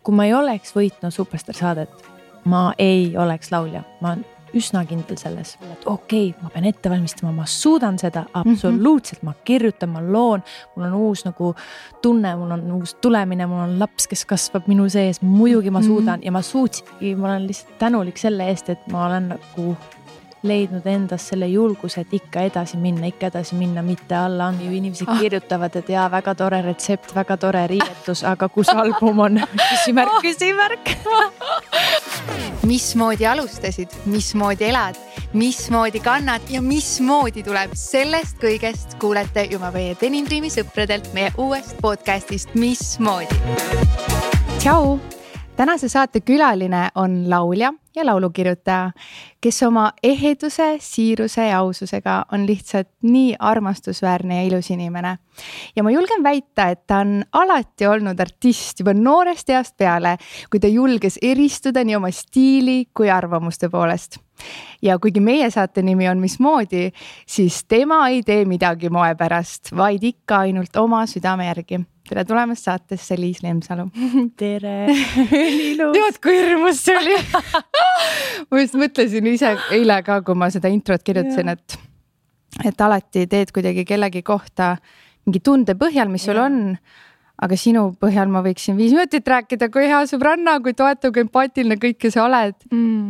kui ma ei oleks võitnud Superstar saadet, ma ei oleks laulja. Ma olen üsna kindel selles, et okei, ma pean ette valmistama, ma suudan seda absoluutselt, ma kirjutan, ma loon, mul on uus nagu tunne, mul on uus tulemine, mul on laps, kes kasvab minu sees, muidugi ma suudan ja ma suutsingi, ma olen lihtsalt tänulik selle eest, et ma olen nagu leidnud endas selle julguse, et ikka edasi minna, mitte alla anda. Ju inimesed kirjutavad, et jaa, väga tore retsept, väga tore riietus, aga kus album on? Küsimärk. Mismoodi alustasid, mismoodi elad, mismoodi kannad ja mismoodi tuleb sellest kõigest kuulete juba meie Denim Dreami sõpradelt meie uuest podcastist Mismoodi. Tšau! Tänase saate külaline on laulja ja laulukirjutaja, kes oma eheduse, siiruse ja aususega on lihtsalt nii armastusväärne ja ilus inimene. Ja ma julgen väita, et ta on alati olnud artist juba noorest east peale, kui ta julges eristuda nii oma stiili kui arvamuste poolest. Ja kuigi meie saate nimi on Mismoodi, siis tema ei tee midagi moe pärast, vaid ikka ainult oma südame järgi. Tere tulemast saatesse, Liis Lemsalu. Tere, ilus. Tead, kui hirmus see oli. Ma just mõtlesin ise eile ka, kui ma seda introt kirjutasin, et alati teed kuidagi kellegi kohta mingi tunde põhjal, mis sul on, aga sinu põhjal ma võiksin 5 minutit rääkida, kui hea sõbranna, kui toetav, kui empaatiline kõike sa oled.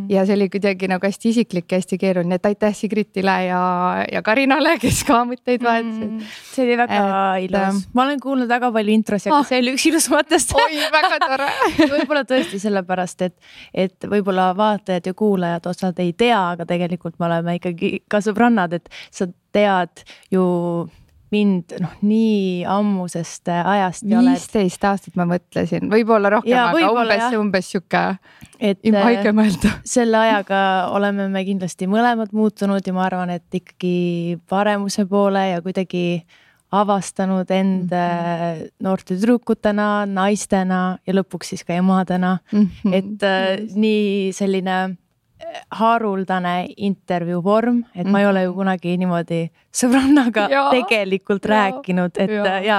Ja see oli kuidagi nagu hästi isiklik ja hästi keeruline, et aitäh Sigritile ja Karinale, kes ka mõtteid vaatasid. See oli väga ilus. Ma olen kuulnud väga palju intros ja see oli üks ilusamatest. Oi, väga tore. Võib-olla tõesti sellepärast, et võib-olla vaatajad ja kuulajad osad ei tea, aga tegelikult me oleme ikkagi ka sõbrannad, et sa tead ju mind nii ammusest ajast. 15 aastat ma mõtlesin, võib-olla rohkem, aga umbes siuke haige mõelda. Selle ajaga oleme me kindlasti mõlemad muutunud ja ma arvan, et ikkagi paremuse poole ja kuidagi avastanud end noorte tüdrukutena, naistena ja lõpuks siis ka emadena. Et nii selline haruldane intervjuu vorm, et ma ei ole ju kunagi niimoodi sõbrannaga tegelikult rääkinud, et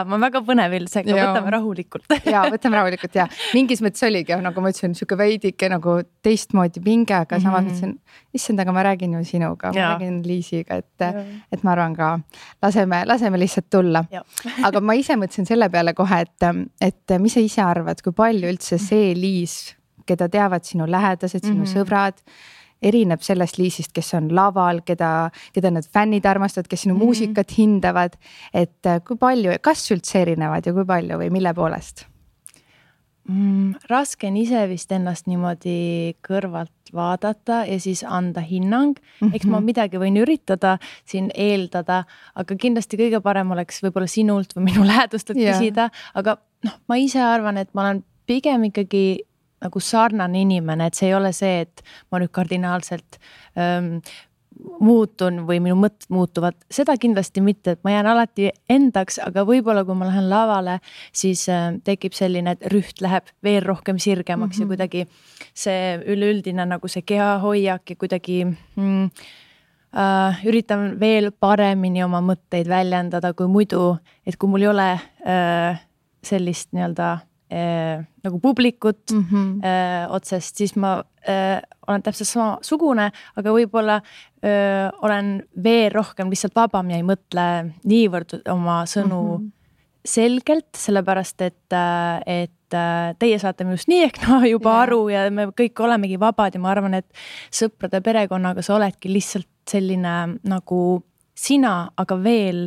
ma väga põnevil, võtame rahulikult. Võtame rahulikult, Mingis mõttes oligi, nagu ma ütlesin, siuke veidike nagu teistmoodi pinge, aga samas mõtlesin, issand, aga ma räägin ju sinuga, ma räägin Liisiga, et ma arvan ka, laseme lihtsalt tulla. Aga ma ise mõtlesin selle peale kohe, et mis sa ise arvad, kui palju üldse see Liis, keda teavad sinu lähedased, sinu sõbrad, erineb sellest Liisist, kes on laval, keda need fännid armastavad, kes sinu muusikat hindavad, et kui palju, kas üldse erinevad ja kui palju või mille poolest? Raske on ise vist ennast niimoodi kõrvalt vaadata ja siis anda hinnang. Eks ma midagi võin üritada siin eeldada, aga kindlasti kõige parem oleks võib-olla sinult või minu lähedustelt küsida, aga ma ise arvan, et ma olen pigem ikkagi nagu sarnane inimene, et see ei ole see, et ma nüüd kardinaalselt muutun või minu mõtted muutuvad. Seda kindlasti mitte, et ma jään alati endaks, aga võib-olla kui ma lähen lavale, siis tekib selline, et rüht läheb veel rohkem sirgemaks ja kuidagi see üleüldine nagu see kehahoiak ja kuidagi üritan veel paremini oma mõtteid väljendada kui muidu, et kui mul ei ole sellist nii-öelda nagu publikut otsest, siis ma olen täpselt sama sugune, aga võib-olla olen veel rohkem lihtsalt vabam ja ei mõtle niivõrd oma sõnu selgelt, sellepärast, et teie saate minust nii ehk juba aru ja me kõik olemegi vabad ja ma arvan, et sõprade perekonnaga sa oledki lihtsalt selline nagu sina, aga veel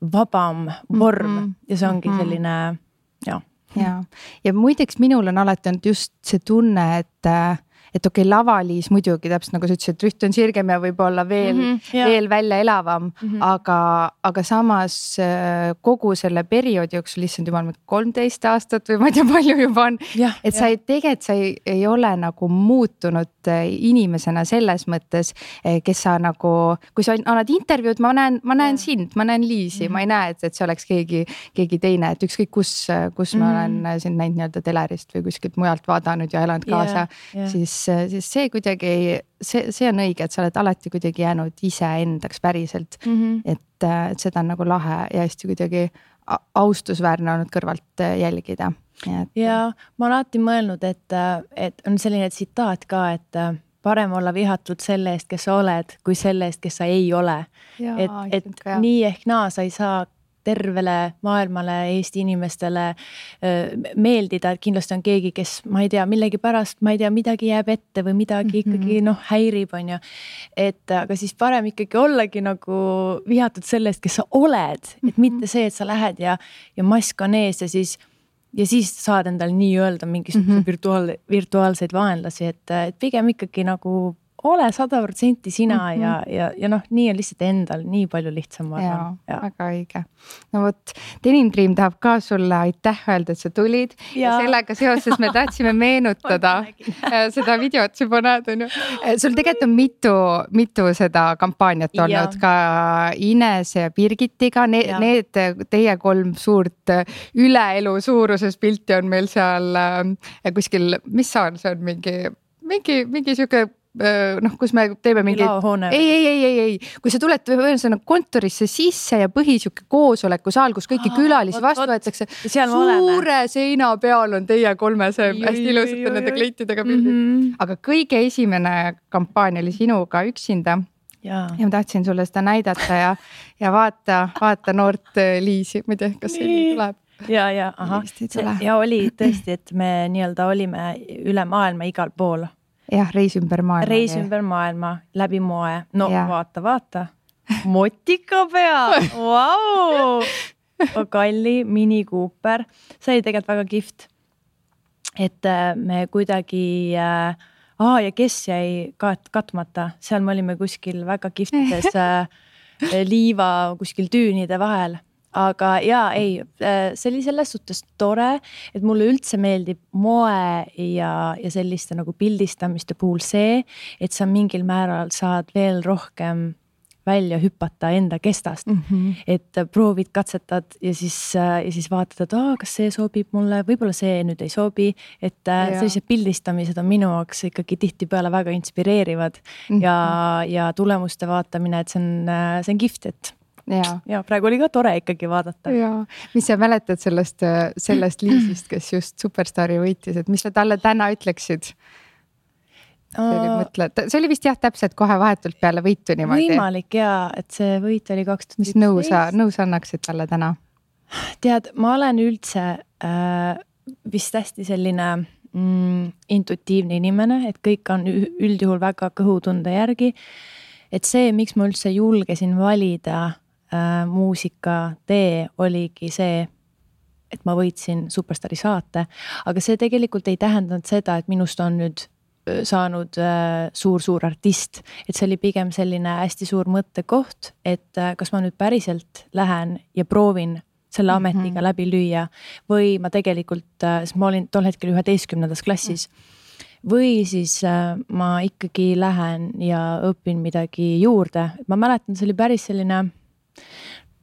vabam vorm ja see ongi selline, Ja muideks minul on alati olnud just see tunne, et okei, lavaliis muidugi täpselt nagu sa ütlesid, et rüht on sirgem ja võib-olla veel välja elavam, aga samas kogu selle perioodi jooksul lihtsalt juba 13 aastat või ma ei tea palju juba on, et sa ei ole nagu muutunud inimesena selles mõttes, kes sa nagu, kui sa annad intervjuud, ma näen sind, ma näen Liisi, ma ei näe, et see oleks keegi teine, et ükskõik kus ma olen sind näinud nii-öelda telerist või kuskilt mujalt vaadanud ja elanud kaasa, siis see kuidagi, see on õige, et sa oled alati kuidagi jäänud ise endaks päriselt, et seda on nagu lahe ja hästi kuidagi austusväärne olnud kõrvalt jälgida. Ja ma olen alati mõelnud, et on selline tsitaat ka, et parem olla vihatud selle eest, kes sa oled, kui selle eest, kes sa ei ole. Et nii ehk naa sa ei saa tervele maailmale, Eesti inimestele meeldida, et kindlasti on keegi, kes, ma ei tea, millegi pärast, ma ei tea, midagi jääb ette või midagi ikkagi häirib, on ju. Et aga siis parem ikkagi ollagi nagu vihatud selle eest, kes sa oled, et mitte see, et sa lähed ja mask on ees ja siis saad endale nii öelda mingisuguse virtuaalseid vaenlasi, et pigem ikkagi nagu ole 100% sina ja nii on lihtsalt endal nii palju lihtsam. Väga õige. No vot, Denim Dream tahab ka sulle aitäh öelda, et sa tulid ja sellega seoses me tahtsime meenutada seda videot juba näed, on ju. Sul tegelikult on mitu seda kampaaniat olnud ka Inese ja Birgitiga. Need teie 3 suurt üleelu suuruses pilti on meil seal kuskil, mis saal see on mingi siuke kus me teeme mingi ei, kui sa tuled kontorisse sisse ja põhisiuke koosolekusaal, kus kõiki külalisi vastu võetakse, suure seina peal on teie 3 hästi ilusate nende kleitidega pildid. Aga kõige esimene kampaania oli sinuga üksinda ja ma tahtsin sulle seda näidata ja vaata noort Liisi, ma ei tea, kas see tuleb. Ja oli tõesti, et me nii-öelda olime üle maailma igal pool. Jah, reis ümber maailma, läbi moe. No vaata. Motika pea. Vau! Kalli, Mini Cooper. See oli tegelikult väga kihvt. Et me kuidagi... ja kes jäi katmata? Seal me olime kuskil väga kihvtides liiva kuskil tüünide vahel. Aga see oli selles suhtes tore, et mulle üldse meeldib moe ja selliste nagu pildistamiste puhul see, et sa mingil määral saad veel rohkem välja hüpata enda kestast. Et proovid, katsetad ja siis vaatad, et kas see sobib mulle, võib-olla see nüüd ei sobi, et sellised pildistamised on minu jaoks ikkagi tihtipeale väga inspireerivad ja tulemuste vaatamine, et see on kihvt, et ja praegu oli ka tore ikkagi vaadata. Mis sa mäletad sellest Liisist, kes just Superstaari võitis, et mis sa talle täna ütleksid? See oli vist täpselt kohe vahetult peale võitu niimoodi. Võimalik et see võit oli 2017. Mis nõus annaksid talle täna? Tead, ma olen üldse vist hästi selline intuitiivne inimene, et kõik on üldjuhul väga kõhutunde järgi. Et see, miks ma üldse julgesin valida muusika tee oligi see, et ma võitsin Superstaari saate, aga see tegelikult ei tähendanud seda, et minust on nüüd saanud suur artist, et see oli pigem selline hästi suur mõttekoht, et kas ma nüüd päriselt lähen ja proovin selle ametiga läbi lüüa või ma tegelikult, sest ma olin tol hetkel 11. klassis, või siis ma ikkagi lähen ja õpin midagi juurde. Ma mäletan, see oli päris selline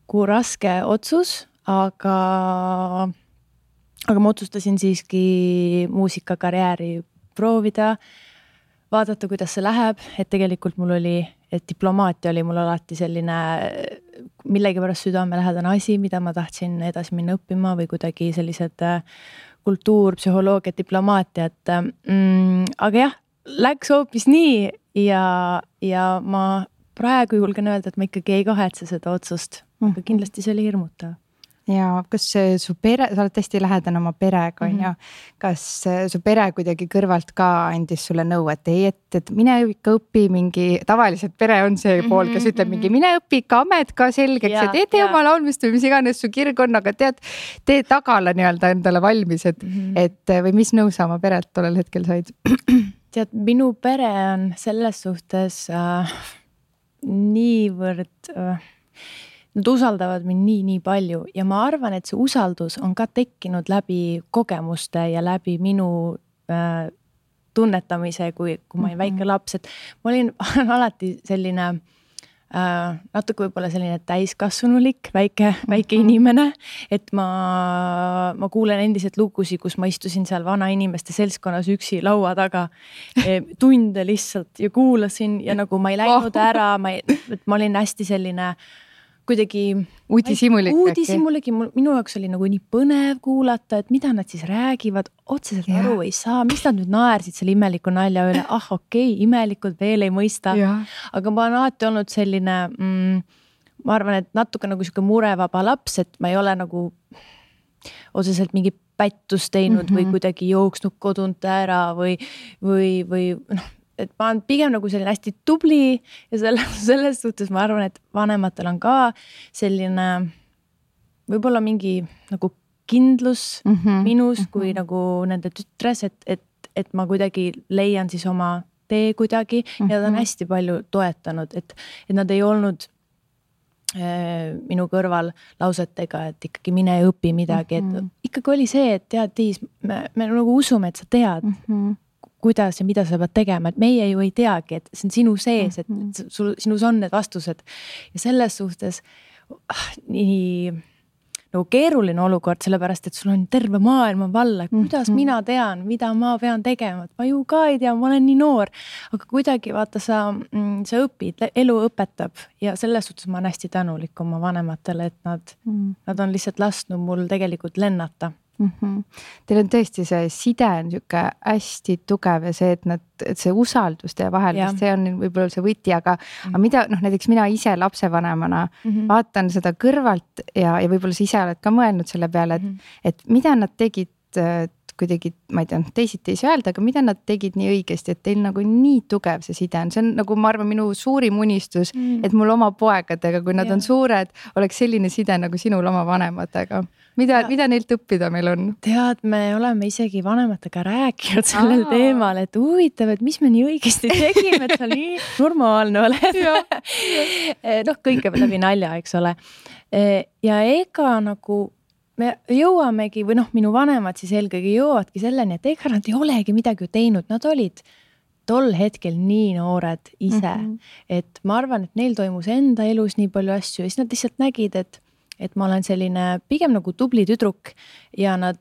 raske otsus, aga ma otsustasin siiski muusikakarjääri proovida, vaadata, kuidas see läheb, et tegelikult mul oli, et diplomaatia oli mul alati selline millegi pärast südamelähedane asi, mida ma tahtsin edasi minna õppima või kuidagi sellised kultuur, psühholoogia, diplomaatia, aga läks hoopis nii ja ma praegu julgen öelda, et ma ikkagi ei kahetse seda otsust, aga kindlasti see oli hirmutav. Ja kas su pere, sa oled hästi lähedane oma perega, on ju, kas su pere kuidagi kõrvalt ka andis sulle nõu, et et mine ikka õpi mingi, tavaliselt pere on see pool, kes ütleb mingi mine õpi ikka amet ka selgeks, et tee oma laulmist või mis iganes su kirg on, aga tee tagala nii-öelda endale valmis, et või mis nõu sa oma perelt tollel hetkel said? Tead, minu pere on selles suhtes niivõrd... Nad usaldavad mind nii palju ja ma arvan, et see usaldus on ka tekkinud läbi kogemuste ja läbi minu tunnetamise, kui ma olin väike laps, et ma olin alati selline natuke võib-olla selline täiskasvanulik, väike inimene, et ma kuulen endiselt lugusid, kus ma istusin seal vana inimeste seltskonnas üksi laua taga tunde lihtsalt ja kuulasin ja nagu ma ei läinud ära, ma olin hästi selline kuidagi uudishimulik. Minu jaoks oli nagu nii põnev kuulata, et mida nad siis räägivad, otseselt aru ei saa, mis nad nüüd naersid selle imeliku nalja üle, imelikud veel ei mõista. Aga ma olen alati olnud selline, ma arvan, et natuke nagu siuke murevaba laps, et ma ei ole nagu otseselt mingi pättus teinud või kuidagi jooksnud kodunt ära või noh, et ma olen pigem nagu selline hästi tubli ja selles suhtes ma arvan, et vanematel on ka selline võib-olla mingi nagu kindlus minus kui nagu nende tütres, et ma kuidagi leian siis oma tee kuidagi ja nad on hästi palju toetanud, et nad ei olnud minu kõrval lausetega, et ikkagi mine ja õpi midagi, et ikkagi oli see, et tead, Tiis, me nagu usume, et sa tead, kuidas ja mida sa pead tegema, et meie ju ei teagi, et see on sinu sees, et sinus on need vastused ja selles suhtes nii nagu keeruline olukord, sellepärast, et sul on terve maailma valla, kuidas mina tean, mida ma pean tegema, et ma ju ka ei tea, ma olen nii noor, aga kuidagi vaata sa õpid, elu õpetab ja selles suhtes ma olen hästi tänulik oma vanematele, et nad on lihtsalt lasknud mul tegelikult lennata. Teil on tõesti see side on siuke hästi tugev ja see, et see usaldus teie vahel, see on võib-olla see võti, aga mida, näiteks mina ise lapsevanemana vaatan seda kõrvalt ja võib-olla sa ise oled ka mõelnud selle peale, et mida nad tegid kuidagi, ma ei tea, teisiti ei saa öelda, aga mida nad tegid nii õigesti, et teil nagu nii tugev see side on. See on nagu, ma arvan, minu suurim unistus, et mul oma poegadega, kui nad on suured, oleks selline side nagu sinul oma vanematega. Mida neilt õppida meil on? Tead, me oleme isegi vanematega rääkinud sellel teemal, et huvitav, et mis me nii õigesti tegime, et sa nii normaalne oled. Noh, kõike läbi nalja, eks ole. Ja ega nagu me jõuamegi või minu vanemad siis eelkõige jõuavadki selleni, et ega nad ei olegi midagi teinud, nad olid tol hetkel nii noored ise, et ma arvan, et neil toimus enda elus nii palju asju ja siis nad lihtsalt nägid, et ma olen selline pigem nagu tubli tüdruk ja nad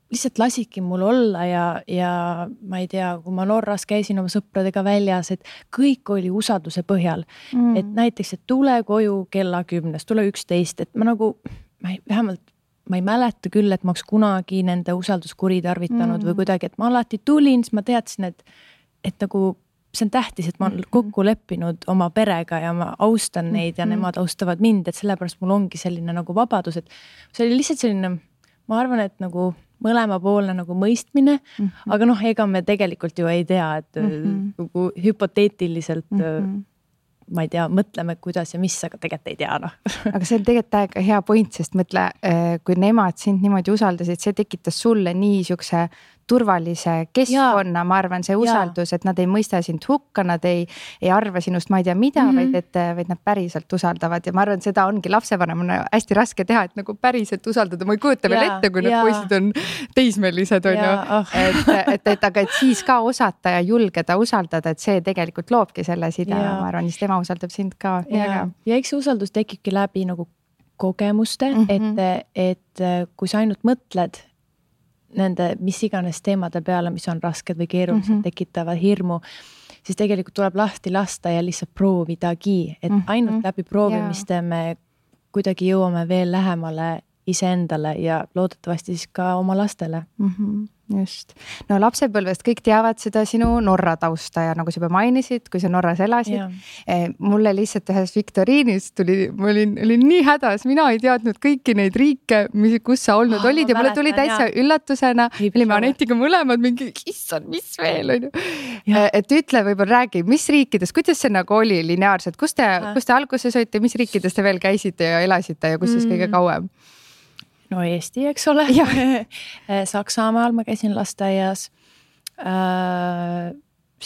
lihtsalt lasidki mul olla ja ma ei tea, kui ma Norras käisin oma sõpradega väljas, et kõik oli usalduse põhjal, et näiteks, et tule koju kella 10, tule 11, et ma nagu vähemalt ma ei mäleta küll, et ma oleks kunagi nende usalduskuri tarvitanud või kuidagi, et ma alati tulin, siis ma teadsin, et nagu see on tähtis, et ma olen kokku leppinud oma perega ja ma austan neid ja nemad austavad mind, et sellepärast mul ongi selline nagu vabadus, et see oli lihtsalt selline, ma arvan, et nagu mõlemapoolne nagu mõistmine, aga ega me tegelikult ju ei tea, et nagu hüpoteetiliselt ma ei tea, mõtleme, kuidas ja mis, aga tegelikult ei tea, Aga see on tegelikult täiega hea point, sest mõtle, kui nemad sind niimoodi usaldasid, see tekitas sulle nii siukse turvalise keskkonna, ma arvan, see usaldus, et nad ei mõista sind hukka, nad ei arva sinust, ma ei tea mida, vaid nad päriselt usaldavad ja ma arvan, seda ongi lapsevanemana hästi raske teha, et nagu päriselt usaldada, ma ei kujuta veel ette, kui need poisid on teismelised, on ju, aga et siis ka osata ja julgeda usaldada, et see tegelikult loobki selle side, ma arvan, siis tema usaldab sind ka. Ja eks see usaldus tekibki läbi nagu kogemuste, et kui sa ainult mõtled nende mis iganes teemade peale, mis on rasked või keerulised, tekitavad hirmu, siis tegelikult tuleb lahti lasta ja lihtsalt proovidagi, et ainult läbi proovimiste me kuidagi jõuame veel lähemale iseendale ja loodetavasti siis ka oma lastele. Just. No lapsepõlvest kõik teavad seda sinu Norra tausta ja nagu sa juba mainisid, kui sa Norras elasid, mulle lihtsalt ühes viktoriinis ma olin nii hädas, mina ei teadnud kõiki neid riike, kus sa olnud olid ja mulle tuli täitsa üllatusena, olime Anetiga mõlemad mingi, issand, mis veel on ju. Et ütle, võib-olla räägi, mis riikides, kuidas see nagu oli lineaarselt, kus te alguses olite, mis riikides te veel käisite ja elasite ja kus siis kõige kauem? No Eesti, eks ole. Saksamaal ma käisin lasteaias.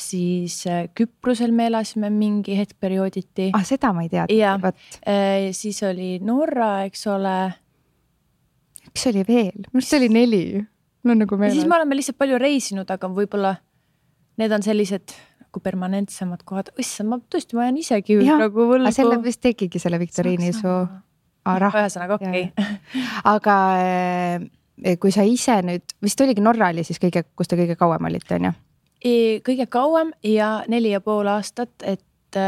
Siis Küprosel me elasime mingi hetk periooditi. Seda ma ei teadnud. Siis oli Norra, eks ole. Üks oli veel, mis oli 4. No, nagu siis me oleme lihtsalt palju reisinud, aga võib-olla need on sellised nagu permanentsemad kohad. Ma tõesti, ma jään isegi nagu võlgu. Selle vist tegigi selle viktoriini su... Ühesõnaga, okei. Aga kui sa ise nüüd, vist oligi Norra oli siis kus te kõige kauem olite, on ju? Kõige kauem ja 4,5 aastat, et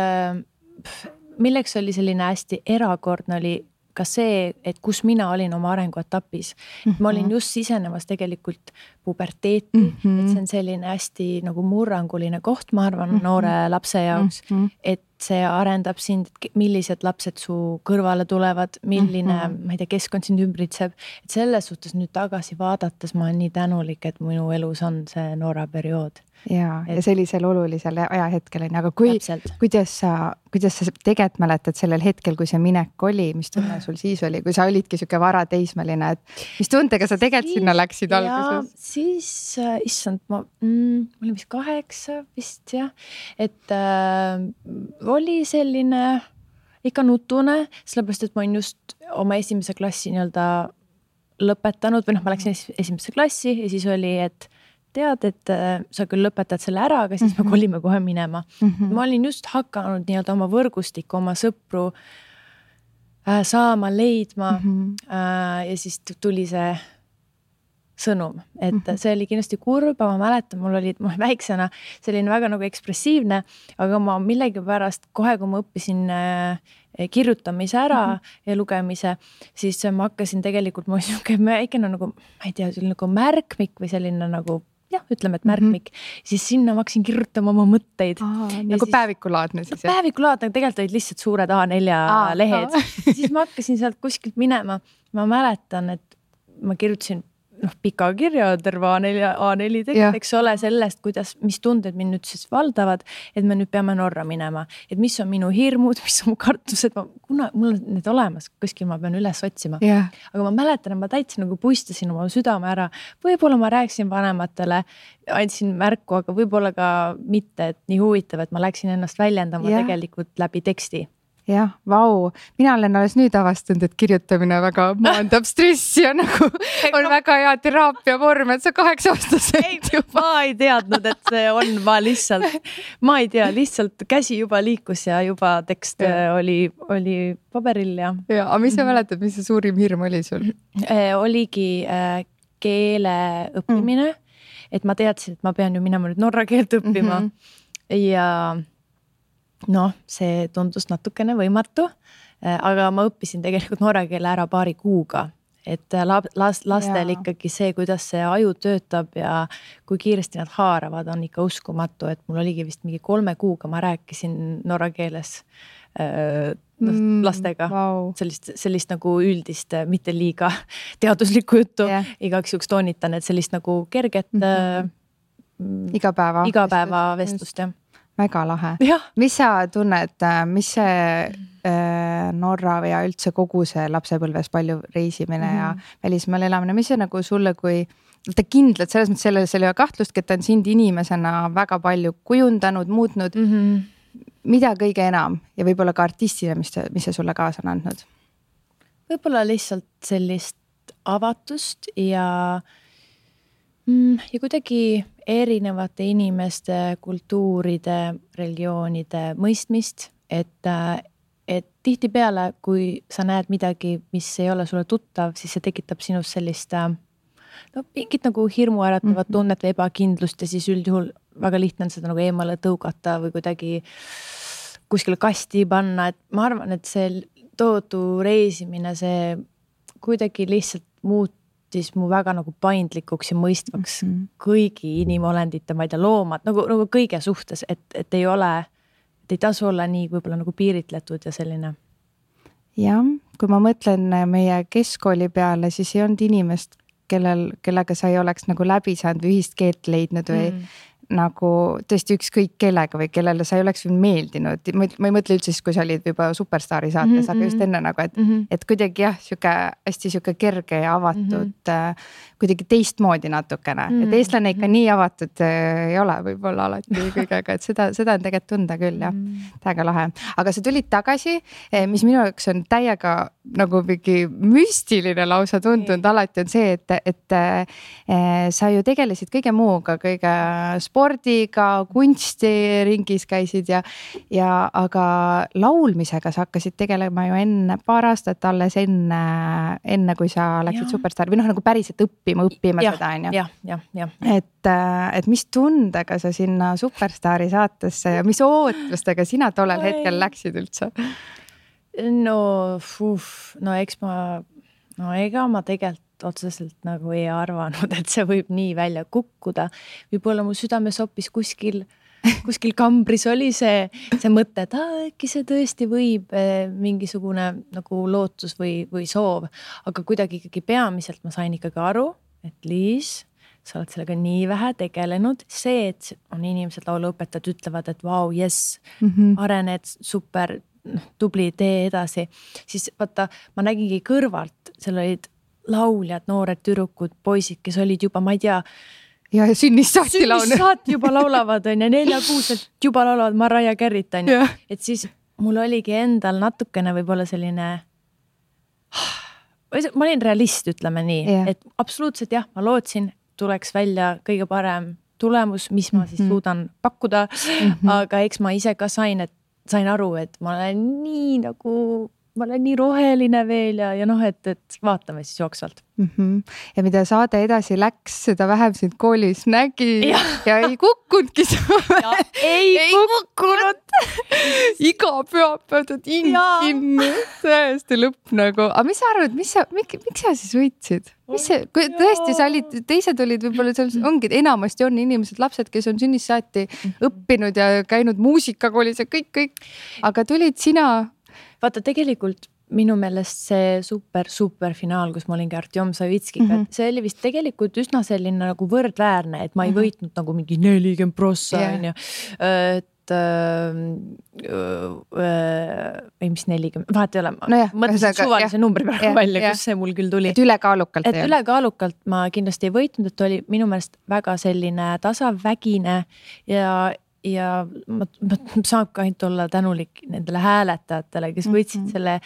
milleks oli selline hästi erakordne oli ka see, et kus mina olin oma arenguetapis. Ma olin just sisenemas tegelikult puberteeti, et see on selline hästi nagu murranguline koht, ma arvan, noore lapse jaoks, et see arendab sind, millised lapsed su kõrvale tulevad, milline, ma ei tea, keskkond sind ümbritseb. Et selles suhtes nüüd tagasi vaadates ma olen nii tänulik, et minu elus on see noora periood. Ja sellisel olulisel ajahetkel on, aga kuidas sa tegelikult mäletad sellel hetkel, kui see minek oli, mis tunne sul siis oli, kui sa olidki siuke vara teismeline, et mis tundega sa tegelikult sinna läksid alguses? Siis, issand, ma olin vist 8 vist jah, et oli selline ikka nutune, sellepärast, et ma olin just oma esimese klassi nii-öelda lõpetanud või ma läksin esimesse klassi ja siis oli, et tead, et sa küll lõpetad selle ära, aga siis me kolime kohe minema. Ma olin just hakanud nii-öelda oma võrgustikku, oma sõpru saama, leidma ja siis tuli see sõnum, et see oli kindlasti kurb, ma mäletan, mul oli väiksena selline väga nagu ekspressiivne, aga ma millegipärast kohe, kui ma õppisin kirjutamise ära ja lugemise, siis ma hakkasin tegelikult, ma väikene nagu, ma ei tea, selline nagu märkmik või selline nagu jah, ütleme, et märkmik, siis sinna ma hakkasin kirjutama oma mõtteid. Nagu päevikulaadne siis? Päevikulaadne, tegelikult olid lihtsalt suured A4 lehed. Siis ma hakkasin sealt kuskilt minema. Ma mäletan, et ma kirjutasin pika kirja, terve A4 tekst, eks ole, sellest, mis tunded mind nüüd siis valdavad, et me nüüd peame Norra minema. Et mis on minu hirmud, mis on mu kartused, kuna mul on need olemas, kuskil ma pean üles otsima. Aga ma mäletan, et ma täitsa nagu puistasin oma südame ära. Võib-olla ma rääkisin vanematele, andsin märku, aga võib-olla ka mitte, et nii huvitav, et ma läksin ennast väljendama tegelikult läbi teksti. Jah, vau. Mina olen alles nüüd avastanud, et kirjutamine väga maandab stressi ja nagu on väga hea teraapia vorm, et sa 8-aastaselt juba. Ma ei teadnud, et see on, ma ei tea, lihtsalt käsi juba liikus ja juba tekst oli paberil ja. Ja, aga mis sa mäletad, mis see suurim hirm oli sul? Oligi keele õppimine, et ma teadsin, et ma pean ju minema nüüd norra keelt õppima ja see tundus natukene võimatu, aga ma õppisin tegelikult norra keele ära paari kuuga, et lastel ikkagi see, kuidas see aju töötab ja kui kiiresti nad haaravad, on ikka uskumatu, et mul oligi vist mingi 3 kuuga, ma rääkisin norra keeles lastega sellist nagu üldist, mitte liiga teaduslikku juttu, igaks juhuks toonitan, et sellist nagu kerget igapäeva vestlust, jah. Väga lahe. Mis sa tunned, mis see Norra ja üldse kogu see lapsepõlves palju reisimine ja välismaal elamine, mis see nagu sulle kui ta kindlalt selles mõttes selles ei ole kahtlustki, et ta on sind inimesena väga palju kujundanud, muutnud, mida kõige enam ja võib-olla ka artistina, mis see sulle kaasa on andnud? Võib-olla lihtsalt sellist avatust ja kuidagi erinevate inimeste, kultuuride, religioonide mõistmist, et tihtipeale, kui sa näed midagi, mis ei ole sulle tuttav, siis see tekitab sinus sellist mingit nagu hirmuäratavat tunnet või ebakindlust ja siis üldjuhul väga lihtne on seda nagu eemale tõugata või kuidagi kuskile kasti panna, et ma arvan, et see tohutu reisimine, see kuidagi lihtsalt muutis mu väga nagu paindlikuks ja mõistvaks kõigi inimolendite, ma ei tea, loomad, nagu kõige suhtes, et ei tasu olla nii võib-olla nagu piiritletud ja selline. Jah, kui ma mõtlen meie keskkooli peale, siis ei olnud inimest, kellega sa ei oleks nagu läbi saanud või ühist keelt leidnud või nagu tõesti ükskõik kellega või kellele sa ei oleks meeldinud. Ma ei mõtle üldse siis, kui sa olid juba Superstaari saates, aga just enne nagu, et kuidagi jah, hästi siuke kerge ja avatud, kuidagi teistmoodi natukene. Et eestlane ikka nii avatud ei ole võib-olla alati kõigega, et seda on tegelikult tunda küll, jah. Täiega lahe. Aga sa tulid tagasi, mis minu jaoks on täiega nagu mingi müstiline lausa tundunud alati on see, et sa ju tegelesid kõige muuga, kõige spordiga, kunstiringis käisid ja aga laulmisega sa hakkasid tegelema ju paar aastat alles enne kui sa läksid Superstaari või nagu päriselt õppima seda on ju. Et mis tundega sa sinna Superstaari saatesse ja mis ootustega sina tollel hetkel läksid üldse? No ega ma tegelikult otseselt nagu ei arvanud, et see võib nii välja kukkuda. Võib-olla mu südames hoppis kuskil kambris oli see mõte, et äkki see tõesti võib mingisugune nagu lootus või soov. Aga kuidagi ikkagi peamiselt ma sain ikkagi aru, et Liis, sa oled sellega nii vähe tegelenud. See, et on inimesed lauluõpetajad ütlevad, et vau, jess, arened super, tubli, tee edasi. Siis vaata, ma nägingi kõrvalt, seal olid lauljad, noored tüdrukud, poisid, kes olid juba, ma ei tea, ja sünnist saati juba laulavad on ja 4-6 juba laulavad Mariah Carey't on. Et siis mul oligi endal natukene võib-olla selline, ma olin realist, ütleme nii, et absoluutselt jah, ma lootsin, tuleks välja kõige parem tulemus, mis ma siis suudan pakkuda, aga eks ma ise ka sain aru, et ma olen nii roheline veel ja et vaatame siis jooksvalt. Ja mida saade edasi läks, seda vähem sind koolis nägi ja ei kukkunudki. Ei kukkunud. Iga pühapäevad kinni, täiesti lõpp nagu. Aga mis sa arvad, miks sa siis võitsid? Kui tõesti sa olid, teised olid võib-olla seal ongi, enamasti on inimesed, lapsed, kes on sünnist saati õppinud ja käinud muusikakoolis ja kõik. Aga tulid sina... Vaata, tegelikult minu meelest see super finaal, kus ma olingi Artjom Savitskiga, see oli vist tegelikult üsna selline nagu võrdväärne, et ma ei võitnud nagu mingi 40%, et mis 40, vahet ei ole, ma mõtlesin suvalise numbri praegu välja, kus see mul küll tuli. Et ülekaalukalt. Et ülekaalukalt ma kindlasti ei võitnud, et oli minu meelest väga selline tasavägine ja ma saab ka ainult olla tänulik nendele hääletajatele, kes võtsid selle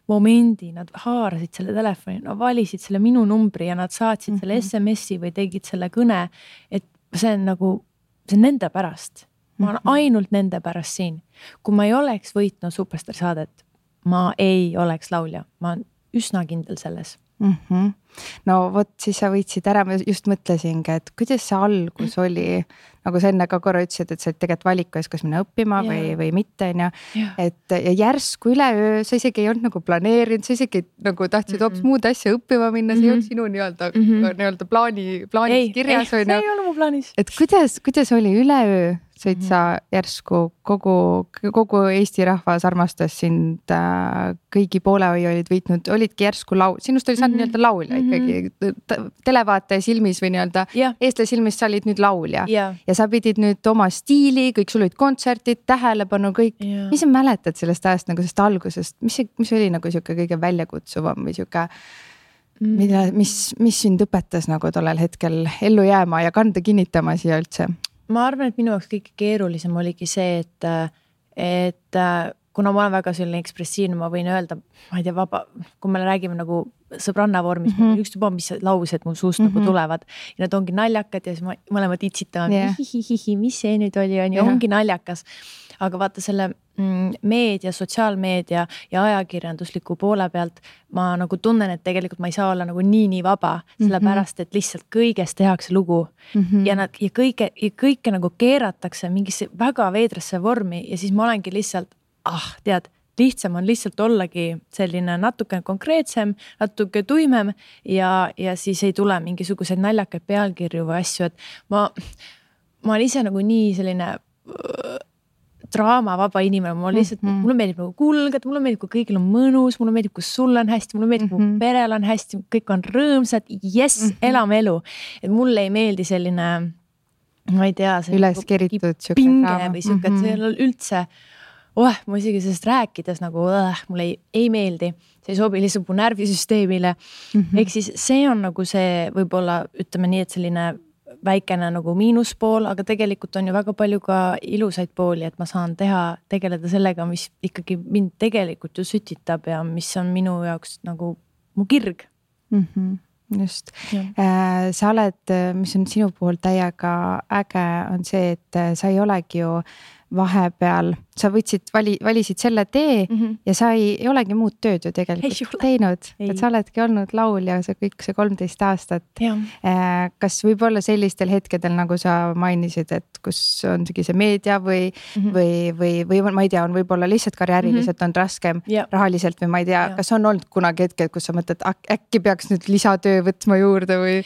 momendi, nad haarasid selle telefoni, nad valisid selle minu numbri ja nad saatsid selle SMS-i või tegid selle kõne, et see on nagu, see on nende pärast. Ma olen ainult nende pärast siin. Kui ma ei oleks võitnud Superstar saadet, ma ei oleks laulja. Ma olen üsna kindel selles. No vot, siis sa võitsid ära, ma just mõtlesingi, et kuidas see algus oli, nagu sa enne ka korra ütlesid, et sa oled tegelikult valiku ees, kas minna õppima või mitte, et järsku üleöö, sa isegi ei olnud nagu planeerinud, sa isegi nagu tahtsid hoopis muud asja õppima minna, see ei olnud sinu nii-öelda plaanis kirjas. Ei olnud mu plaanis. Et kuidas oli üleöö? Sõid sa järsku kogu Eesti rahvas armastas sind, kõigi poolehoid olid võitnud, olidki järsku sinust oli saanud nii-öelda laulja ikkagi, televaataja silmis või nii-öelda eestlase silmis sa olid nüüd laulja ja sa pidid nüüd oma stiili, kõik sul olid kontserdid, tähelepanu, kõik. Mis sa mäletad sellest ajast nagu sellest algusest, mis oli nagu siuke kõige väljakutsuvam või siuke, mis sind õpetas nagu tollel hetkel ellu jääma ja kanda kinnitama siia üldse? Ma arvan, et minu jaoks kõige keerulisem oligi see, et kuna ma olen väga selline ekspressiivne, ma võin öelda, ma ei tea, kui me räägime nagu sõbranna vormis, üks tuba, mis laused mul suust nagu tulevad ja nad ongi naljakad ja siis mõlemad itsitame, mis see nüüd oli, ongi naljakas. Aga vaata selle meedia, sotsiaalmeedia ja ajakirjandusliku poole pealt ma nagu tunnen, et tegelikult ma ei saa olla nagu nii vaba, sellepärast, et lihtsalt kõigest tehakse lugu ja kõike nagu keeratakse mingisse väga veidrasse vormi ja siis ma olengi lihtsalt, lihtsam on lihtsalt ollagi selline natuke konkreetsem, natuke tuimem ja siis ei tule mingisuguseid naljakaid pealkirju või asju, et ma olen ise nagu nii selline draamavaba inimene, mulle meeldib nagu kulgeda, mulle meeldib, kui kõigil on mõnus, mulle meeldib, kui sul on hästi, mulle meeldib, kui perel on hästi, kõik on rõõmsad, elame elu. Et mulle ei meeldi selline, ma ei tea, üleskeritud pinge või siuke, et see on üldse, ma isegi sellest rääkides nagu, mulle ei meeldi, see ei sobi lihtsalt mu närvisüsteemile. Ehk siis see on nagu see, võib-olla ütleme nii, et selline väikene nagu miinuspool, aga tegelikult on ju väga palju ka ilusaid pooli, et ma saan tegeleda sellega, mis ikkagi mind tegelikult ju sütitab ja mis on minu jaoks nagu mu kirg. just. Sa oled, mis on sinu puhul täiega äge, on see, et sa ei olegi ju vahepeal, sa valisid selle tee ja sa ei olegi muud tööd ju tegelikult teinud, et sa oledki olnud laulja see kõik see 13 aastat. Kas võib-olla sellistel hetkedel, nagu sa mainisid, et kus on see meedia või ma ei tea, on võib-olla lihtsalt karjääriliselt on raskem rahaliselt või ma ei tea, kas on olnud kunagi hetked, kus sa mõtled, äkki peaks nüüd lisatöö võtma juurde või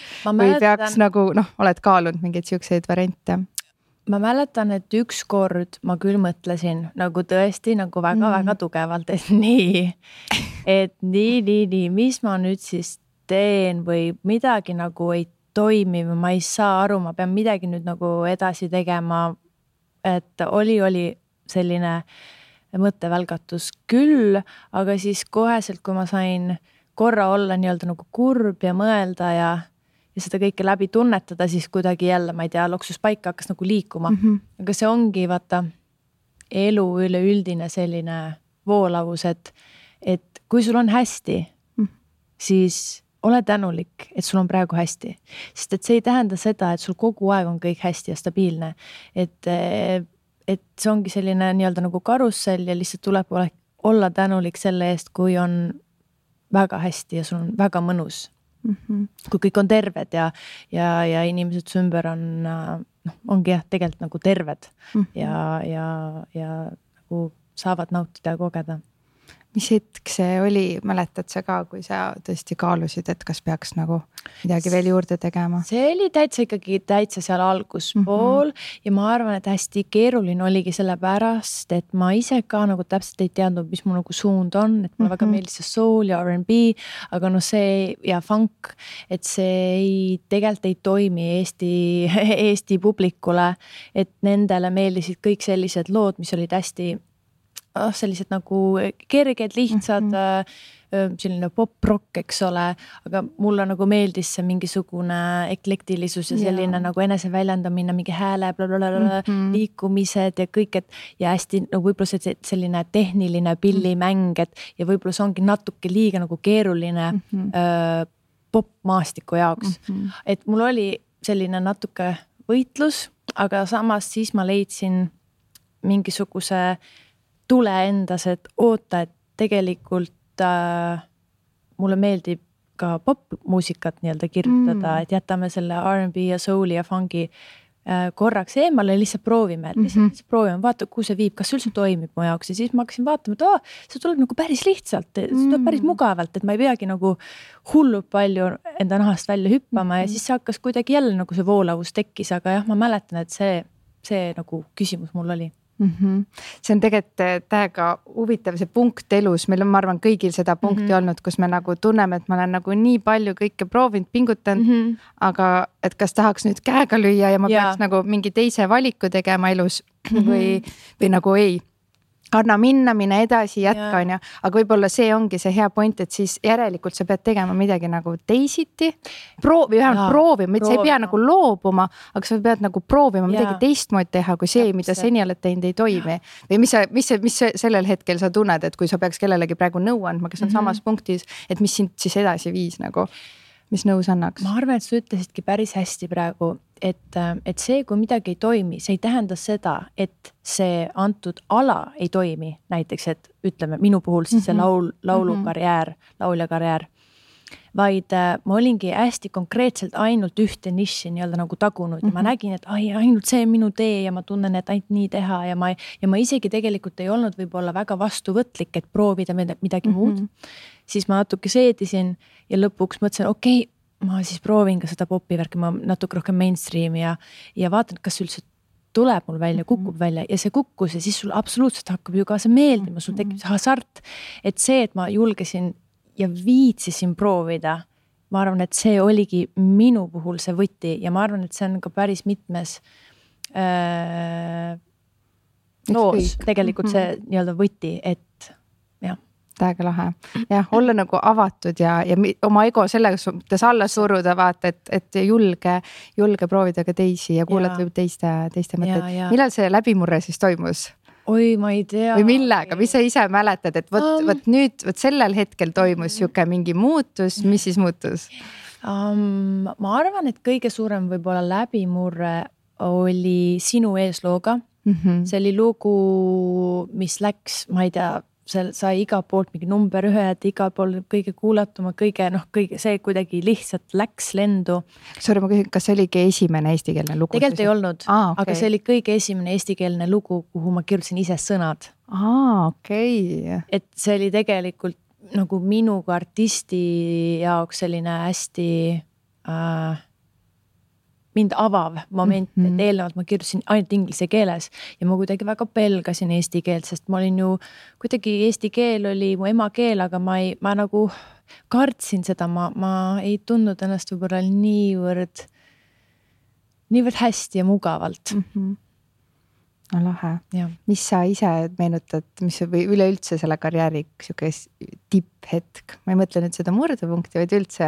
peaks nagu, oled kaalunud mingeid siukseid variante? Ma mäletan, et ükskord ma küll mõtlesin nagu tõesti nagu väga-väga tugevalt, et nii, mis ma nüüd siis teen või midagi nagu ei toimi või ma ei saa aru, ma pean midagi nüüd nagu edasi tegema. Et oli selline mõttevälgatus küll, aga siis koheselt, kui ma sain korra olla nii-öelda nagu kurb ja mõelda ja seda kõike läbi tunnetada, siis kuidagi jälle, ma ei tea, loksus paika hakkas nagu liikuma. Aga see ongi vaata elu üleüldine selline voolavus, et kui sul on hästi, siis ole tänulik, et sul on praegu hästi. Sest et see ei tähenda seda, et sul kogu aeg on kõik hästi ja stabiilne. Et see ongi selline nii-öelda nagu karussell ja lihtsalt tuleb olla tänulik selle eest, kui on väga hästi ja sul on väga mõnus. Kui kõik on terved ja inimesed su ümber ongi tegelikult nagu terved ja nagu saavad nautida ja kogeda. Mis hetk see oli, mäletad sa ka, kui sa tõesti kaalusid, et kas peaks nagu midagi veel juurde tegema? See oli täitsa seal alguspool ja ma arvan, et hästi keeruline oligi selle pärast, et ma ise ka nagu täpselt ei teadnud, mis mu nagu suund on, et mulle väga meeldis see soul ja R&B, aga see ja funk, et see tegelikult ei toimi Eesti publikule, et nendele meeldisid kõik sellised lood, mis olid hästi sellised nagu kerged, lihtsad, selline pop-rock, eks ole, aga mulle nagu meeldis see mingisugune eklektilisus ja selline nagu eneseväljendamine, mingi hääle, liikumised ja kõik, ja hästi nagu võib-olla selline tehniline pillimäng, ja võib-olla see ongi natuke liiga nagu keeruline pop-maastiku jaoks. Et mul oli selline natuke võitlus, aga samas siis ma leidsin mingisuguse tule endas, et oota, et tegelikult mulle meeldib ka pop-muusikat nii-öelda kirjutada, et jätame selle R&B ja souli ja fungi korraks eemale, lihtsalt proovime, vaata, kuhu see viib, kas üldse toimib mu jaoks ja siis ma hakkasin vaatama, et see tuleb nagu päris lihtsalt, see tuleb päris mugavalt, et ma ei peagi nagu hullult palju enda nahast välja hüppama ja siis see hakkas kuidagi jälle nagu see voolavus tekkis, aga jah, ma mäletan, et see nagu küsimus mul oli. See on tegelikult täiega huvitav see punkt elus, meil on, ma arvan, kõigil seda punkti olnud, kus me nagu tunneme, et ma olen nagu nii palju kõike proovinud, pingutanud, aga et kas tahaks nüüd käega lüüa ja ma peaks nagu mingi teise valiku tegema elus või nagu ei. Anna minna, mine edasi, jätka on ja, aga võib-olla see ongi see hea point, et siis järelikult sa pead tegema midagi nagu teisiti, proovima, sa ei pea nagu loobuma, aga sa pead nagu proovima midagi teistmoodi teha, kui see, mida seni oled teinud, ei toimi. Või mis sellel hetkel sa tunned, et kui sa peaks kellelegi praegu nõu andma, kes on samas punktis, et mis sind siis edasi viis nagu, mis nõus annaks? Ma arvan, et sa ütlesidki päris hästi praegu, et see, kui midagi ei toimi, see ei tähenda seda, et see antud ala ei toimi. Näiteks, et ütleme minu puhul siis see laulukarjäär, lauljakarjäär, vaid ma olingi hästi konkreetselt ainult ühte niši nii-öelda nagu tagunud ja ma nägin, et ainult see on minu tee ja ma tunnen, et ainult nii teha ja ma isegi tegelikult ei olnud võib-olla väga vastuvõtlik, et proovida midagi muud. Siis ma natuke seedisin ja lõpuks mõtlesin, okei, ma siis proovin ka seda popivärki, ma natuke rohkem mainstreami ja vaatan, kas üldse tuleb mul välja, kukub välja ja see kukkus ja siis sul absoluutselt hakkab ju ka see meeldima, sul tekib see hasart, et see, et ma julgesin ja viitsisin proovida, ma arvan, et see oligi minu puhul see võti ja ma arvan, et see on ka päris mitmes loos tegelikult see nii-öelda võti, et jah. Täiega lahe. Jah, olla nagu avatud ja oma ego selles suhtes alla suruda, vaata, et julge proovida ka teisi ja kuulata võib teiste mõtted. Millal see läbimurre siis toimus? Oi, ma ei tea. Või millega? Mis sa ise mäletad, et võt sellel hetkel toimus siuke mingi muutus, mis siis muutus? Ma arvan, et kõige suurem võib-olla läbimurre oli Sinu eeslooga. See oli lugu, mis läks, ma ei tea, seal sai iga poolt mingi number 1, igal pool kõige kuulatuma, kõige see kuidagi lihtsalt läks lendu. Sorry, ma küsin, kas see oligi esimene eestikeelne lugu? Tegelikult ei olnud, aga see oli kõige esimene eestikeelne lugu, kuhu ma kirjutasin ise sõnad. Okei. Et see oli tegelikult nagu minu kui artisti jaoks selline hästi mind avav moment, et eelnevalt ma kirjutasin ainult inglise keeles ja ma kuidagi väga pelgasin eesti keelt, sest ma olin ju kuidagi eesti keel oli mu emakeel, aga ma nagu kartsin seda, ma ei tundnud ennast võib-olla niivõrd hästi ja mugavalt. No lahe. Ja. Mis sa ise meenutad, mis või üleüldse selle karjääri tipphetk? Ma ei mõtle nüüd seda murdepunkti, vaid üldse,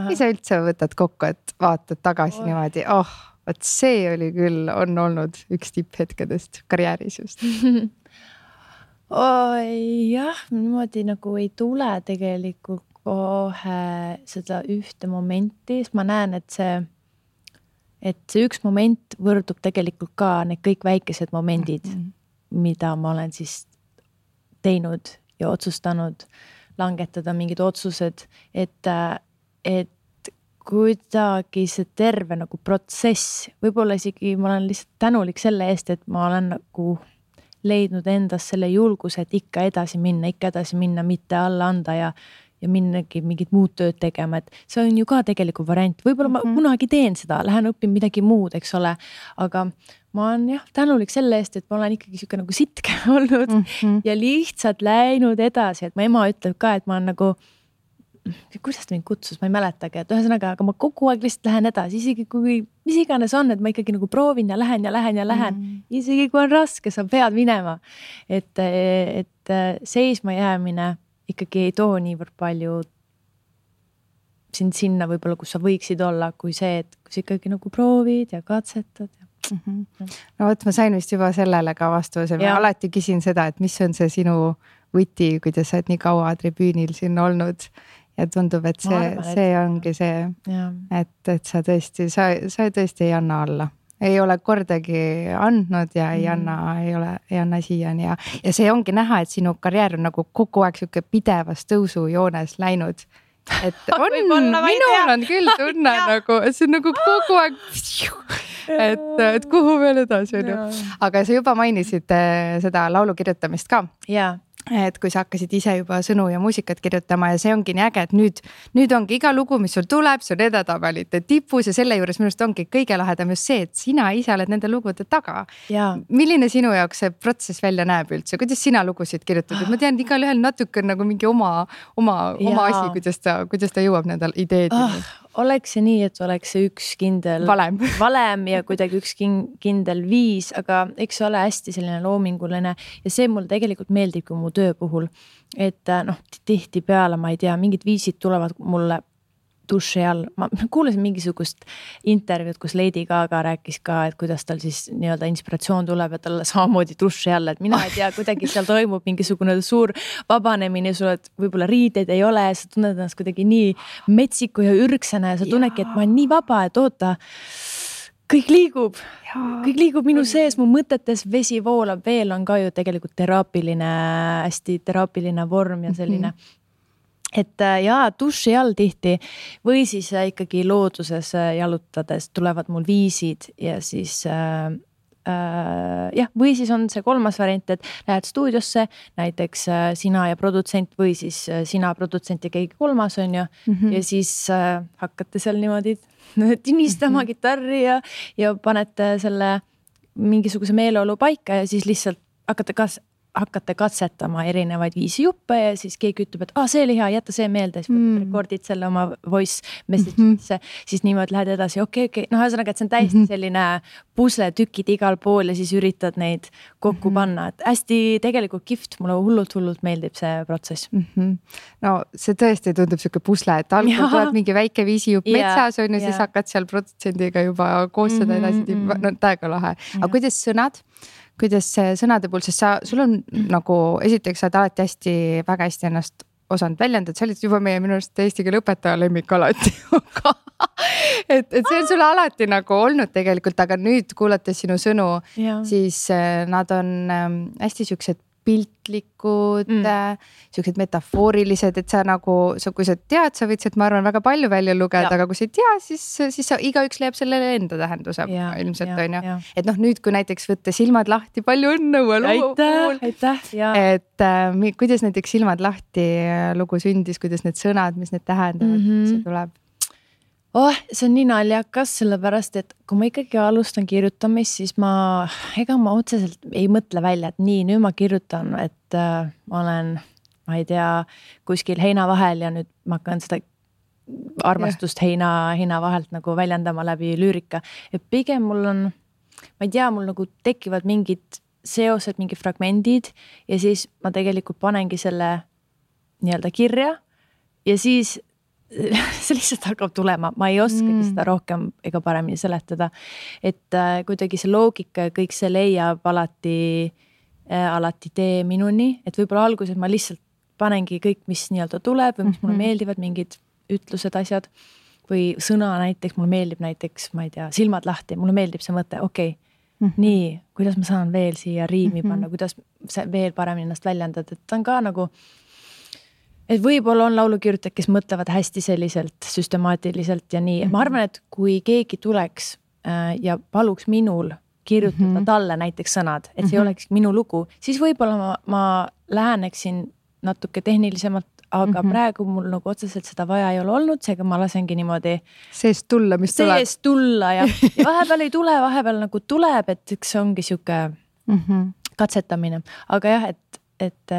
mis sa üldse võtad kokku, et vaatad tagasi niimoodi, et see oli küll, on olnud üks tipphetkedest karjääris just. Jah, niimoodi nagu ei tule tegelikult kohe seda ühte momenti, sest ma näen, et see üks moment võrdub tegelikult ka need kõik väikesed momendid, mida ma olen siis teinud ja otsustanud langetada mingid otsused, et kuidagi see terve nagu protsess, võib-olla isegi ma olen lihtsalt tänulik selle eest, et ma olen nagu leidnud endas selle julguse, et ikka edasi minna, mitte alla anda ja minnagi mingit muud tööd tegema, et see on ju ka tegelikult variant. Võib-olla ma kunagi teen seda, lähen õpin midagi muud, eks ole, aga ma olen tänulik selle eest, et ma olen ikkagi siuke nagu sitke olnud ja lihtsalt läinud edasi, et mu ema ütleb ka, et ma olen nagu, kuidas ta mind kutsus, ma ei mäletagi, et ühesõnaga, aga ma kogu aeg lihtsalt lähen edasi, isegi kui mis iganes on, et ma ikkagi nagu proovin ja lähen, isegi kui on raske, sa pead minema, et seisma jäämine ikkagi ei too niivõrd palju sind sinna võib-olla, kus sa võiksid olla, kui see, et kus ikkagi nagu proovid ja katsetad. No võt, ma sain vist juba sellele ka vastuse. Ma alati küsin seda, et mis on see sinu võti, kuidas sa oled nii kaua tribüünil siin olnud ja tundub, et see ongi see, et sa tõesti ei anna alla. Ei ole kordagi andnud ja ei anna siiani ja see ongi näha, et sinu karjäär on nagu kogu aeg siuke pidevas tõusujoones läinud. Et minul on küll tunne nagu, see on nagu kogu aeg, et kuhu veel edasi on ju. Aga sa juba mainisid seda laulu kirjutamist ka. Jaa. Et kui sa hakkasid ise juba sõnu ja muusikat kirjutama ja see ongi nii äge, et nüüd ongi iga lugu, mis sul tuleb, see on edetabelite tipus ja selle juures minust ongi kõige lahedam just see, et sina ise oled nende lugude taga. Milline sinu jaoks see protsess välja näeb üldse? Kuidas sina lugusid kirjutad? Ma tean, igal ühel natuke on nagu mingi oma asi, kuidas ta jõuab nendel ideedini. Oleks see nii, et oleks see üks kindel valem ja kuidagi üks kindel viis, aga eks see ole hästi selline loominguline ja see mulle tegelikult meeldib kui mu töö puhul, et tihti peale, ma ei tea, mingid viisid tulevad mulle duši all. Ma kuulasin mingisugust intervjuud, kus Lady Gaga rääkis ka, et kuidas tal siis nii-öelda inspiratsioon tuleb ja talle samamoodi duši all, et mina ei tea, kuidagi seal toimub mingisugune suur vabanemine, sul võib-olla riideid ei ole, sa tunned ennast kuidagi nii metsiku ja ürgsena ja sa tunnedki, et ma olen nii vaba, et oota, kõik liigub minu sees, mu mõtetes vesi voolab, veel on ka ju tegelikult hästi teraapiline vorm ja selline et duši all tihti või siis ikkagi looduses jalutades tulevad mul viisid ja siis või siis on see kolmas variant, et lähed stuudiosse, näiteks sina ja produtsent või siis sina, produtsent ja keegi kolmas on ju ja siis hakkate seal niimoodi tinistama kitarri ja panete selle mingisuguse meeleolu paika ja siis lihtsalt hakkate katsetama erinevaid viisi juppe ja siis keegi ütleb, et see oli hea, jätta see meelde, siis rekordid selle oma voice message'isse, siis niimoodi lähed edasi, okei. Ühesõnaga, et see on täiesti selline pusletükid igal pool ja siis üritad neid kokku panna, et hästi tegelikult kihvt, mulle hullult meeldib see protsess. No see tõesti tundub siuke pusle, et algul tuleb mingi väike viisijupp metsas on ja siis hakkad seal protsendiga juba koos seda edasi, täiega lahe. Aga kuidas see sõnade puhul, sest sul on nagu, esiteks sa oled alati väga hästi ennast osanud väljendada, sa olid juba meie minu arust eesti keele õpetaja lemmik alati et see on sulle alati nagu olnud tegelikult, aga nüüd kuulates sinu sõnu, siis nad on hästi siuksed piltlikud, siuksed metafoorilised, et sa nagu, kui sa tead, sa võid sealt, ma arvan, väga palju välja lugeda, aga kui sa ei tea, siis sa igaüks leiab sellele enda tähenduse ilmselt on ju. Et noh, nüüd kui näiteks võtta Silmad lahti, palju õnne uue lugu puhul. Et kuidas näiteks Silmad lahti lugu sündis, kuidas need sõnad, mis need tähendavad, see tuleb? See on nii naljakas, sellepärast, et kui ma ikkagi alustan kirjutamist, siis ega ma otseselt ei mõtle välja, et nii, nüüd ma kirjutan, et ma olen, ma ei tea, kuskil heina vahel ja nüüd ma hakkan seda armastust heina vahelt nagu väljendama läbi lüürika. Et pigem mul on, ma ei tea, mul nagu tekivad mingid seosed, mingid fragmendid ja siis ma tegelikult panengi selle nii-öelda kirja ja siis see lihtsalt hakkab tulema, ma ei oskagi seda rohkem ega paremini seletada, et kuidagi see loogika ja kõik see leiab alati tee minuni, et võib-olla alguses ma lihtsalt panengi kõik, mis nii-öelda tuleb või mis mulle meeldivad, mingid ütlused, asjad või sõna näiteks, mulle meeldib näiteks, ma ei tea, Silmad lahti, mulle meeldib see mõte, okei, nii, kuidas ma saan veel siia riimi panna, kuidas veel paremini ennast väljendada, et ta on ka nagu et võib-olla on laulukirjutajad, kes mõtlevad hästi selliselt süstemaatiliselt ja nii. Ma arvan, et kui keegi tuleks ja paluks minul kirjutada talle näiteks sõnad, et see oleks minu lugu, siis võib-olla ma läheneksin natuke tehnilisemalt, aga praegu mul nagu otseselt seda vaja ei ole olnud, seega ma lasengi niimoodi seest tulla, mis tuleb. Seest tulla ja vahepeal ei tule, vahepeal nagu tuleb, et see ongi siuke katsetamine. Aga jah, et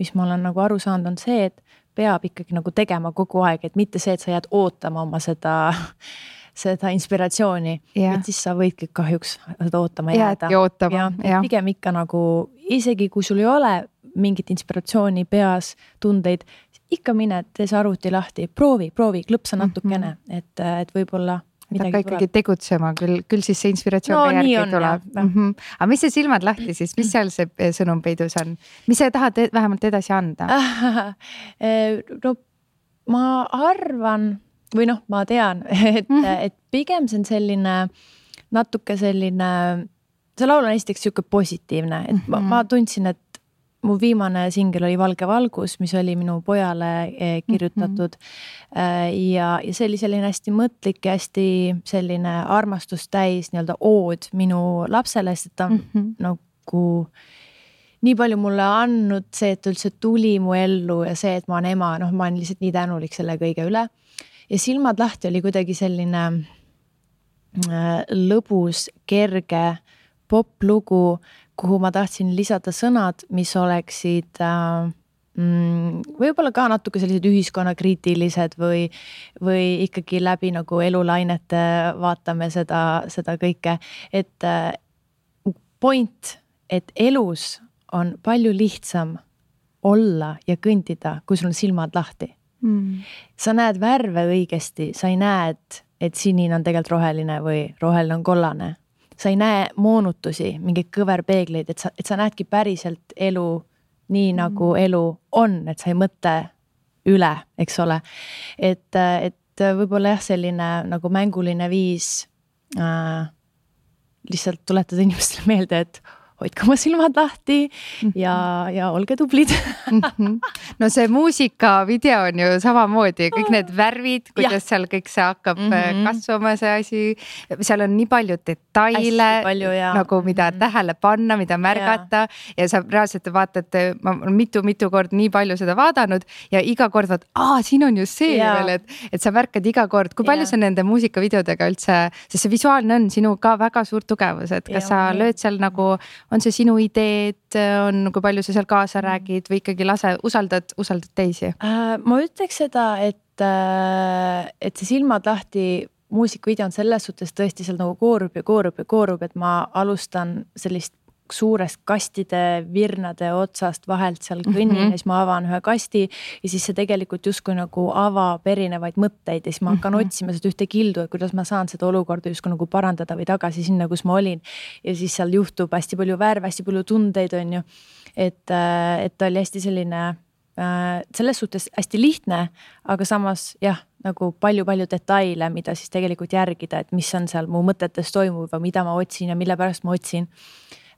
mis ma olen nagu aru saanud, on see, et peab ikkagi nagu tegema kogu aeg, et mitte see, et sa jääd ootama oma seda inspiratsiooni, et siis sa võidki kahjuks seda ootama jääda. Pigem ikka nagu, isegi kui sul ei ole mingit inspiratsiooni peas, tundeid, ikka mine, tee see arvuti lahti, proovi, klõpsa natukene, et võib-olla hakka ikkagi tegutsema, küll siis see inspiratsioon järgi tuleb. Aga mis see Silmad lahti siis, mis seal see sõnum peidus on? Mis sa tahad vähemalt edasi anda? No ma arvan, või noh, ma tean, et pigem see on selline, natuke selline, see laul on esiteks siuke positiivne, et ma tundsin, et mu viimane singel oli Valge valgus, mis oli minu pojale kirjutatud ja see oli selline hästi mõtlik ja hästi selline armastustäis nii-öelda ood minu lapsele, sest ta on nagu nii palju mulle andnud, see, et üldse tuli mu ellu ja see, et ma olen ema, ma olen lihtsalt nii tänulik selle kõige üle. Ja Silmad lahti oli kuidagi selline lõbus, kerge poplugu, kuhu ma tahtsin lisada sõnad, mis oleksid võib-olla ka natuke sellised ühiskonnakriitilised või ikkagi läbi nagu elulainete vaatame seda kõike. Et point, et elus on palju lihtsam olla ja kõndida, kui sul on silmad lahti. Sa näed värve õigesti, sa ei näe, et sinine on tegelikult roheline või roheline on kollane. Sa ei näe moonutusi, mingeid kõverpeegleid, et sa näedki päriselt elu nii nagu elu on, et sa ei mõtle üle, eks ole. Et võib-olla jah, selline nagu mänguline viis lihtsalt tuletada inimestele meelde, et hoidke oma silmad lahti ja olge tublid. No see muusikavideo on ju samamoodi, kõik need värvid, kuidas seal kõik see hakkab kasvama see asi. Seal on nii palju detaile, nagu mida tähele panna, mida märgata ja sa reaalselt vaatate, ma olen mitu kord nii palju seda vaadanud ja iga kord vaat, siin on ju see veel, et sa märkad iga kord, kui palju sa nende muusikavideodega üldse, sest see visuaalne on sinu ka väga suur tugevus, et kas sa lööd seal nagu on see sinu ideed, on kui palju sa seal kaasa räägid või ikkagi usaldad teisi? Ma ütleks seda, et see silmad lahti muusikavideo on selles suhtes tõesti seal nagu koorub, et ma alustan sellist suurest kastide virnade otsast vahelt seal kõnnin ja siis ma avan ühe kasti ja siis see tegelikult justkui nagu avab erinevaid mõtteid ja siis ma hakkan otsima seda ühte kildu, et kuidas ma saan seda olukorda justkui nagu parandada või tagasi sinna, kus ma olin. Ja siis seal juhtub hästi palju värve, hästi palju tundeid on ju, et ta oli hästi selline selles suhtes hästi lihtne, aga samas jah, nagu palju detaile, mida siis tegelikult järgida, et mis on seal mu mõtetes toimuv või mida ma otsin ja mille pärast ma otsin.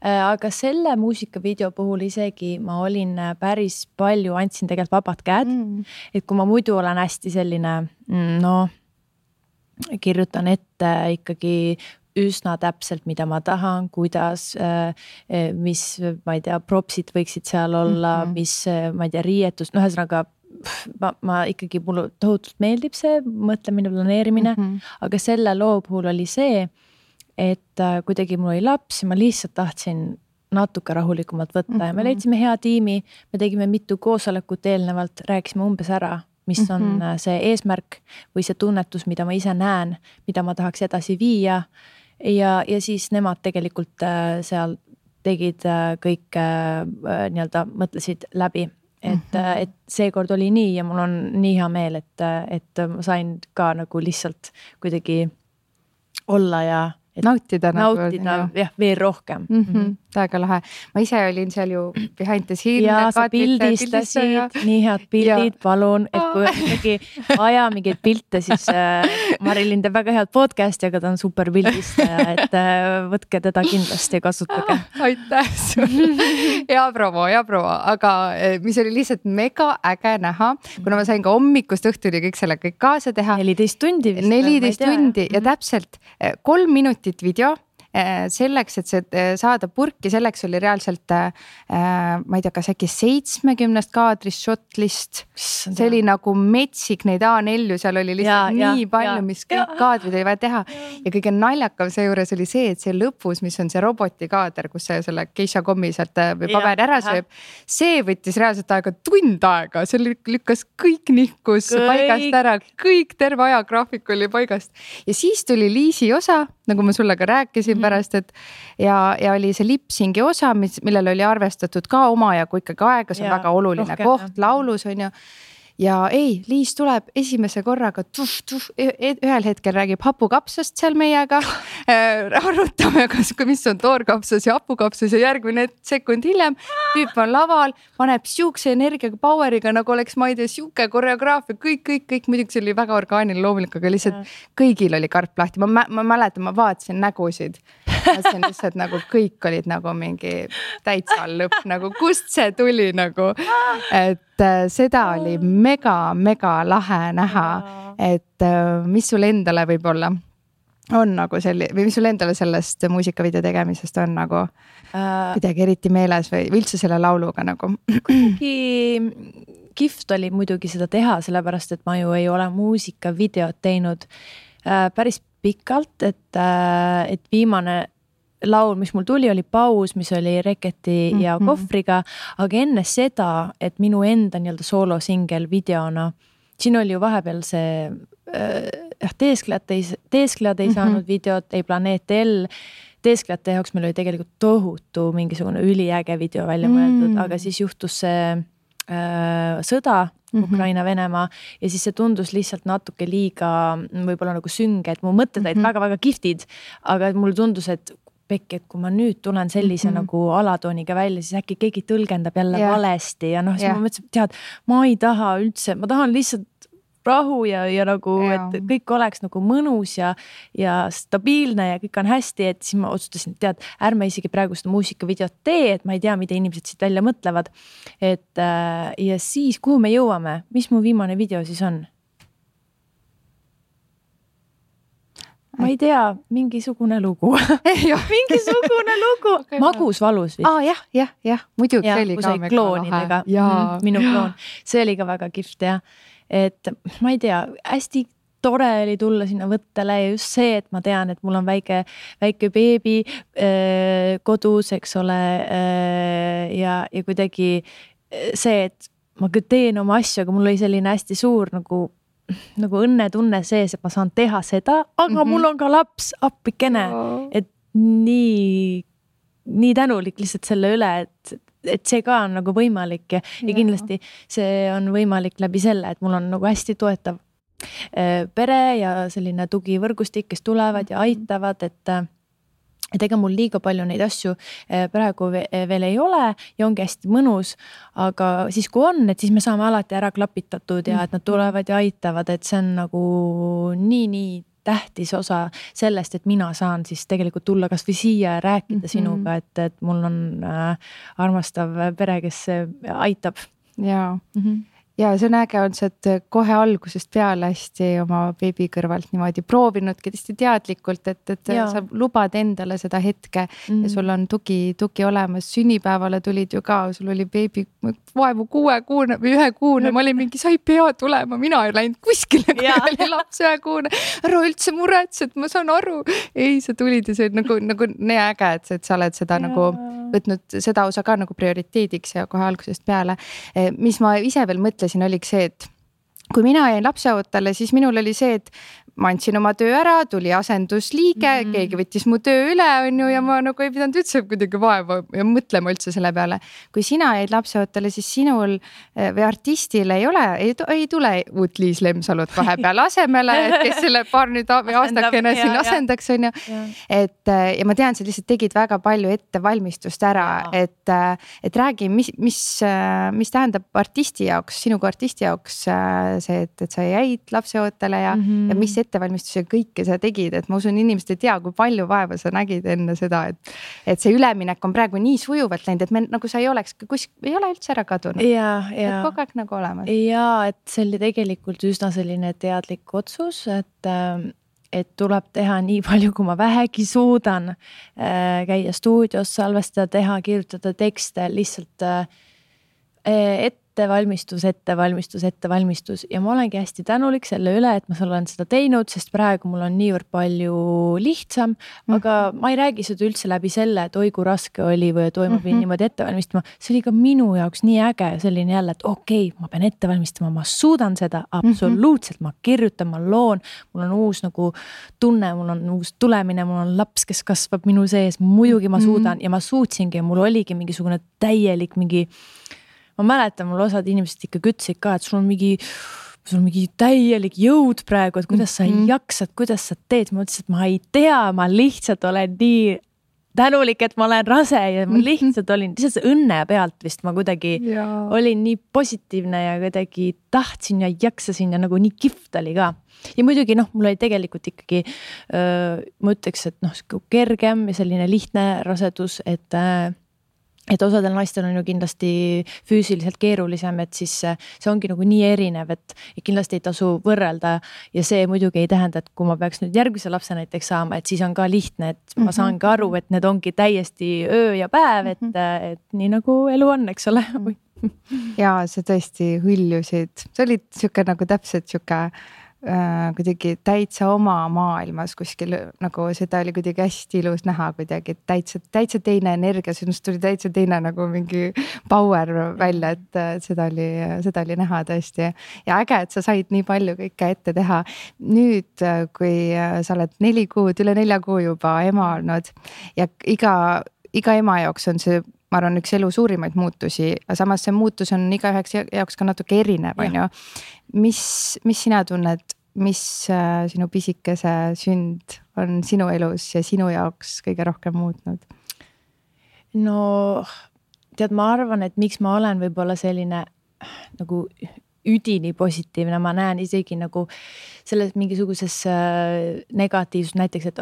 Aga selle muusikavideo puhul isegi ma olin päris palju, andsin tegelikult vabad käed, et kui ma muidu olen hästi selline, kirjutan ette ikkagi üsna täpselt, mida ma tahan, kuidas, mis, ma ei tea, propsid võiksid seal olla, mis, ma ei tea, riietus, ühesõnaga ma ikkagi, mulle tohutult meeldib see mõtlemine, planeerimine, aga selle loo puhul oli see, et kuidagi mul oli laps ja ma lihtsalt tahtsin natuke rahulikumalt võtta ja me leidsime hea tiimi, me tegime mitu koosolekut eelnevalt, rääkisime umbes ära, mis on see eesmärk või see tunnetus, mida ma ise näen, mida ma tahaks edasi viia ja siis nemad tegelikult seal tegid kõik nii-öelda mõtlesid läbi, et seekord oli nii ja mul on nii hea meel, et ma sain ka nagu lihtsalt kuidagi olla ja nautida jah, veel rohkem. Väga lahe. Ma ise olin seal ju behind the scene. Ja sa pildistasid, nii head pildid, palun, et kui ikkagi vaja mingeid pilte, siis Marilyn teeb väga head podcasti, aga ta on super pildistaja, et võtke teda kindlasti ja kasutage. Aitäh sulle. Ja promo, aga mis oli lihtsalt mega äge näha, kuna ma sain ka hommikust õhtuni kõik selle kõik kaasa teha. 14 tundi vist. 14 tundi ja täpselt 3 minutit video selleks, et see saada purki, selleks oli reaalselt, ma ei tea, kas äkki 70 kaadrist shotlist. See oli nagu metsik neid A4, seal oli lihtsalt nii palju, mis kõik kaadrid oli vaja teha. Ja kõige naljakam see juures oli see, et see lõpus, mis on see robotikaader, kus see selle Keisha kommi sealt või paber ära sööb, see võttis reaalselt aega tund aega, see lükkas kõik nihkus paigast ära, kõik terve ajagraafik oli paigast. Ja siis tuli Liisi osa, nagu ma sulle ka rääkisin pärast, et ja oli see lipsingi osa, millel oli arvestatud ka omajagu ikkagi aega, see on väga oluline koht laulus on ju. Ja Liis tuleb esimese korraga ühel hetkel räägib hapukapsast seal meiega, arutame, mis on toorkapsas ja hapukapsas ja järgmine sekund hiljem tüüp on laval, paneb siukse energiaga, poweriga, nagu oleks, ma ei tea, siuke koreograafia, kõik, muidugi see oli väga orgaaniline loomulik, aga lihtsalt kõigil oli karp lahti, ma mäletan, ma vaatasin nägusid, see on lihtsalt nagu kõik olid nagu mingi täitsa lõpp, nagu kust see tuli nagu, et seda oli mega lahe näha, et mis sul endale võib-olla on nagu või mis sul endale sellest muusikavideo tegemisest on nagu midagi eriti meeles või üldse selle lauluga nagu? Kihvt oli muidugi seda teha, sellepärast, et ma ju ei ole muusikavideot teinud päris pikalt, et viimane laul, mis mul tuli, oli Paus, mis oli Reketi ja Kohvriga, aga enne seda, et minu enda nii-öelda soolosingel videona, siin oli ju vahepeal see Teesklejad ei saanud videot, ei Planeet L, Teesklejate jaoks meil oli tegelikult tohutu mingisugune üliäge video välja mõeldud, aga siis juhtus see sõda Ukraina-Venemaa ja siis see tundus lihtsalt natuke liiga võib-olla nagu sünge, et mu mõtted olid väga kiftid, aga mulle tundus, et pekki, et kui ma nüüd tulen sellise nagu alatooniga välja, siis äkki keegi tõlgendab jälle valesti ja siis ma mõtlesin, tead, ma ei taha üldse, ma tahan lihtsalt rahu ja nagu, et kõik oleks nagu mõnus ja stabiilne ja kõik on hästi, et siis ma otsustasin, tead, ärme isegi praegu seda muusikavideot tee, et ma ei tea, mida inimesed siit välja mõtlevad. Et ja siis, kuhu me jõuame, mis mu viimane video siis on? Ma ei tea, mingisugune lugu. Mingisugune lugu. Magus valus vist. Jah, muidugi see oli ka väga lahe. Minu kloon. See oli ka väga kihvt ja et ma ei tea, hästi tore oli tulla sinna võttele ja just see, et ma tean, et mul on väike beebi kodus, eks ole, ja kuidagi see, et ma teen oma asju, aga mul oli selline hästi suur nagu õnnetunne sees, et ma saan teha seda, aga mul on ka laps appikene, et nii tänulik lihtsalt selle üle, et see ka on nagu võimalik ja kindlasti see on võimalik läbi selle, et mul on nagu hästi toetav pere ja selline tugivõrgustik, kes tulevad ja aitavad, et ega mul liiga palju neid asju praegu veel ei ole ja ongi hästi mõnus, aga siis kui on, et siis me saame alati ära klapitatud ja et nad tulevad ja aitavad, et see on nagu nii tähtis osa sellest, et mina saan siis tegelikult tulla kas või siia ja rääkida sinuga, et mul on armastav pere, kes aitab. Jaa. Ja see on äge on see, et kohe algusest peale hästi oma beebi kõrvalt niimoodi proovinudki tõesti teadlikult, et sa lubad endale seda hetke ja sul on tugi olemas. Sünnipäevale tulid ju ka, sul oli beebi vaevu 6 kuune või 1 kuune, ma olin mingi, sa ei pea tulema, mina ei läinud kuskile, kui oli laps 1 kuune. Ära üldse muretsed, ma saan aru. Ei, sa tulid ja see on nagu nii äge, et sa oled seda nagu võtnud seda osa ka nagu prioriteediks ja kohe algusest peale. Mis ma ise veel mõtlesin, oligi see, et kui mina jäin lapseootele, siis minul oli see, et ma andsin oma töö ära, tuli asendusliige, keegi võttis mu töö üle, on ju, ja ma nagu ei pidanud üldse kuidagi vaeva ja mõtlema üldse selle peale. Kui sina jäid lapseootele, siis sinul või artistil ei tule uut Liis Lemsalut vahepeal asemele, et kes selle paar nüüd aastakene siin asendaks, on ju. Ja ma tean, sa lihtsalt tegid väga palju ettevalmistust ära, et räägi, mis tähendab artisti jaoks, sinu kui artisti jaoks see, et sa jäid lapseootele ja mis ettevalmistuse kõike sa tegid, et ma usun, inimesed ei tea, kui palju vaeva sa nägid enne seda, et see üleminek on praegu nii sujuvalt läinud, et me nagu sa ei oleks, ei ole üldse ära kadunud. Et kogu aeg nagu olemas. Ja, et see oli tegelikult üsna selline teadlik otsus, et tuleb teha nii palju, kui ma vähegi suudan käia stuudios, salvestada, teha, kirjutada tekste, lihtsalt ettevalmistus ja ma olengi hästi tänulik selle üle, et ma olen seda teinud, sest praegu mul on niivõrd palju lihtsam, aga ma ei räägi seda üldse läbi selle, et oi kui raske oli või et oi ma pidin niimoodi ette valmistama. See oli ka minu jaoks nii äge selline jälle, et okei, ma pean ette valmistama, ma suudan seda absoluutselt, ma kirjutan, ma loon, mul on uus nagu tunne, mul on uus tulemine, mul on laps, kes kasvab minu sees, muidugi ma suudan ja ma suutsingi ja mul oligi mingisugune täielik ma mäletan, mul osad inimesed ikka ütlesid ka, et sul on mingi täielik jõud praegu, et kuidas sa jaksad, kuidas sa teed. Ma ütlesin, et ma ei tea, ma lihtsalt olen nii tänulik, et ma olen rase ja ma lihtsalt olin õnne pealt vist. Ma kuidagi olin nii positiivne ja kuidagi tahtsin ja jaksasin ja nagu nii kihvt oli ka. Ja muidugi mul oli tegelikult ikkagi, ma ütleks, et kergem ja selline lihtne rasedus, et osadel naistel on ju kindlasti füüsiliselt keerulisem, et siis see ongi nagu nii erinev, et kindlasti ei tasu võrrelda ja see muidugi ei tähenda, et kui ma peaks nüüd järgmise lapse näiteks saama, et siis on ka lihtne, et ma saan ka aru, et need ongi täiesti öö ja päev, et nii nagu elu on, eks ole. Ja sa tõesti hõljusid, sa olid siuke nagu täpselt siuke kuidagi täitsa oma maailmas kuskil, nagu seda oli kuidagi hästi ilus näha kuidagi, täitsa teine energia, sinust tuli täitsa teine nagu mingi power välja, et seda oli näha tõesti. Ja äge, et sa said nii palju kõike ette teha. Nüüd, kui sa oled 4 kuud, üle 4 kuu juba ema olnud ja iga ema jaoks on see, ma arvan, üks elu suurimaid muutusi, aga samas see muutus on igaüheks jaoks ka natuke erinev, on ju. Mis sina tunned, mis sinu pisikese sünd on sinu elus ja sinu jaoks kõige rohkem muutnud? No, tead, ma arvan, et miks ma olen võib-olla selline nagu üdini positiivne, ma näen isegi nagu selles mingisuguses negatiivsus, näiteks, et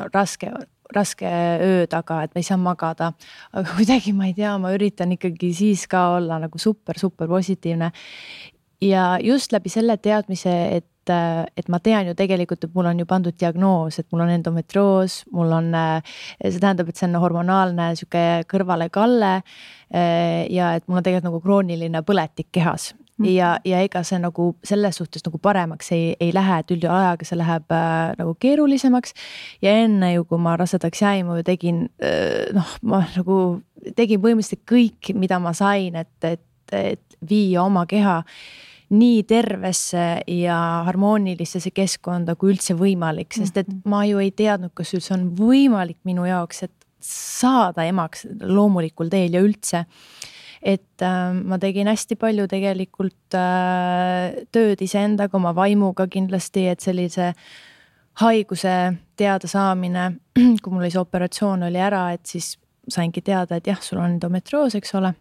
raske öö taga, et ma ei saa magada, aga kuidagi ma ei tea, ma üritan ikkagi siis ka olla nagu super positiivne ja just läbi selle teadmise, et ma tean ju tegelikult, et mul on ju pandud diagnoos, et mul on endometrioos, mul on, see tähendab, et see on hormonaalne süke kõrvalekalle ja et mul on tegelikult nagu krooniline põletik kehas. Ja ega see nagu selles suhtes nagu paremaks ei lähe, et üldjuhul see läheb nagu keerulisemaks ja enne ju, kui ma rasedaks jäin, ma ju tegin, ma nagu tegin põhimõtteliselt kõik, mida ma sain, et viia oma keha nii tervesse ja harmoonilisse keskkonda kui üldse võimalik, sest et ma ju ei teadnud, kas üldse on võimalik minu jaoks, et saada emaks loomulikul teel ja üldse. Et ma tegin hästi palju tegelikult tööd iseendaga, oma vaimuga kindlasti, et sellise haiguse teada saamine, kui mul oli see operatsioon oli ära, et siis saingi teada, et jah, sul on endometrioos, eks ole.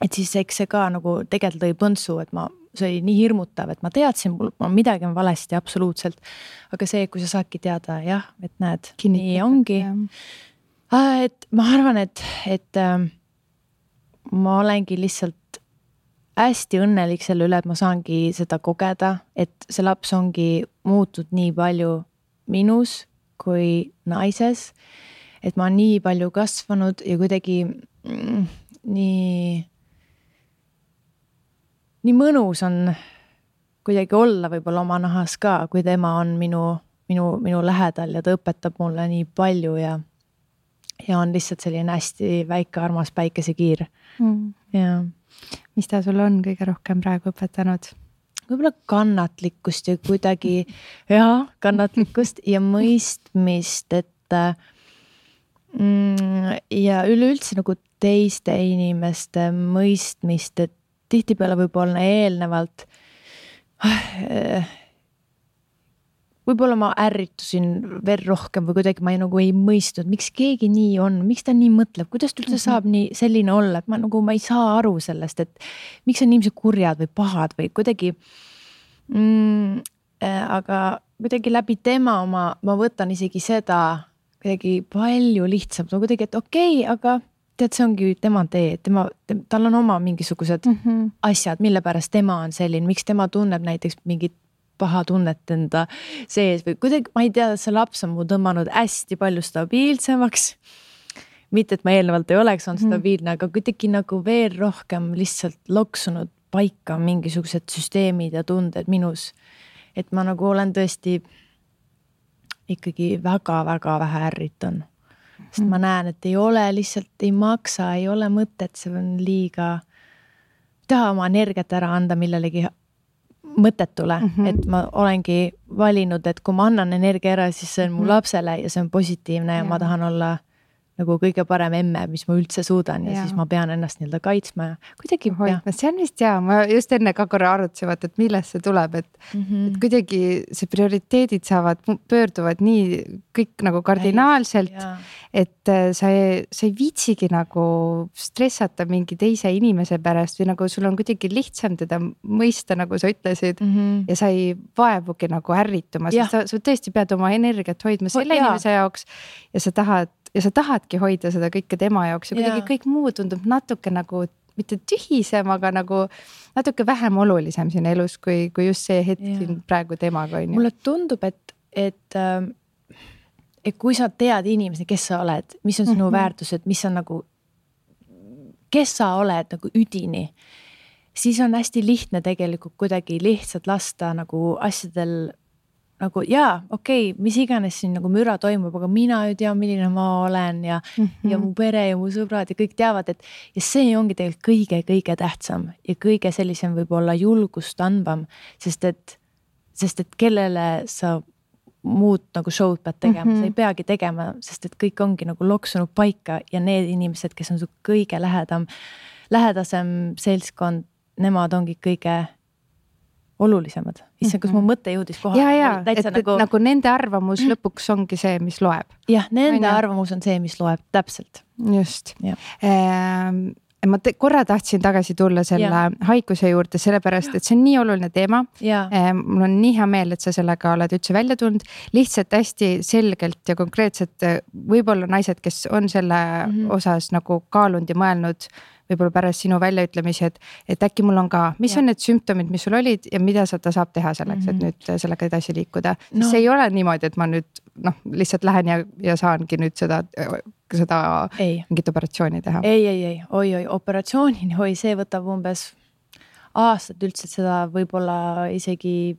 Et siis eks see ka nagu tegelikult tõi põntsu, et see oli nii hirmutav, et ma teadsin, mul midagi on valesti absoluutselt. Aga see, kui sa saadki teada, jah, et näed, nii ongi. Et ma arvan, et ma olengi lihtsalt hästi õnnelik selle üle, et ma saangi seda kogeda, et see laps ongi muutud nii palju minus kui naises, et ma nii palju kasvanud ja kuidagi nii mõnus on kuidagi olla võib-olla oma nahas ka, kui tema on minu lähedal ja ta õpetab mulle nii palju ja on lihtsalt selline hästi väike armas päikesekiir. Ja. Mis ta sul on kõige rohkem praegu õpetanud? Võib-olla kannatlikkust ja kuidagi kannatlikkust ja mõistmist, et ja üleüldse nagu teiste inimeste mõistmist, et tihtipeale võib-olla eelnevalt võib-olla ma ärritusin veel rohkem või kuidagi ma ei mõistnud, miks keegi nii on, miks ta nii mõtleb, kuidas ta üldse saab nii selline olla, et ma ei saa aru sellest, et miks on inimesed kurjad või pahad või kuidagi aga kuidagi läbi tema ma võtan isegi seda kuidagi palju lihtsam, kuidagi, et okei, aga tead, see ongi tema tee, tal on oma mingisugused asjad, mille pärast tema on selline, miks tema tunneb näiteks mingit paha tunnet enda sees või kuidagi, ma ei tea, see laps on mu tõmmanud hästi palju stabiilsemaks. Mitte, et ma eelnevalt ei oleks olnud stabiilne, aga kuidagi nagu veel rohkem lihtsalt loksunud paika mingisugused süsteemid ja tunded minus. Et ma nagu olen tõesti ikkagi väga-väga vähe ärritan. Sest ma näen, et ei ole lihtsalt, ei maksa, ei ole mõtet, see on liiga taha oma energiat ära anda millelegi mõttetule, et ma olengi valinud, et kui ma annan energia ära, siis see on mu lapsele ja see on positiivne ja ma tahan olla nagu kõige parem emme, mis ma üldse suudan ja siis ma pean ennast nii-öelda kaitsma ja kuidagi hoidma. See on vist ma just enne ka korra arutsevad, et millest see tuleb, et kuidagi see prioriteedid pöörduvad nii kõik nagu kardinaalselt, et sa ei viitsigi nagu stressata mingi teise inimese pärast või nagu sul on kuidagi lihtsam teda mõista, nagu sa ütlesid ja sa ei vaevugi nagu ärrituma, sest sa tõesti pead oma energiat hoidma selle inimese jaoks ja sa tahadki hoida seda kõike tema jaoks ja kuidagi kõik muu tundub natuke nagu mitte tühisem, aga nagu natuke vähem olulisem siin elus, kui just see hetk siin praegu temaga on. Mulle tundub, et kui sa tead inimesi, kes sa oled, mis on sinu väärtused, mis on nagu, kes sa oled nagu üdini, siis on hästi lihtne tegelikult kuidagi lihtsalt lasta nagu asjadel nagu okei, mis iganes siin nagu müra toimub, aga mina ju tean, milline ma olen ja mu pere ja mu sõbrad ja kõik teavad, et ja see ongi tegelikult kõige tähtsam ja kõige sellisem võib-olla julgust andvam, sest et kellele sa muud nagu show'd pead tegema, sa ei peagi tegema, sest et kõik ongi nagu loksunud paika ja need inimesed, kes on su kõige lähedasem seltskond, nemad ongi kõige olulisemad. Issa, kas mu mõte jõudis kohale? Et nagu nende arvamus lõpuks ongi see, mis loeb. Jah, nende arvamus on see, mis loeb, täpselt. Just. Ma korra tahtsin tagasi tulla selle haiguse juurde, sellepärast, et see on nii oluline teema. Mul on nii hea meel, et sa sellega oled üldse välja tulnud. Lihtsalt hästi selgelt ja konkreetselt võib-olla naised, kes on selle osas nagu kaalunud ja mõelnud võib-olla pärast sinu väljaütlemisi, et äkki mul on ka, mis on need sümptomid, mis sul olid ja mida ta saab teha selleks, et nüüd sellega edasi liikuda. See ei ole niimoodi, et ma nüüd lihtsalt lähen ja saangi nüüd seda mingit operatsiooni teha. Oi, operatsioonini, see võtab umbes aastat üldse seda võib-olla isegi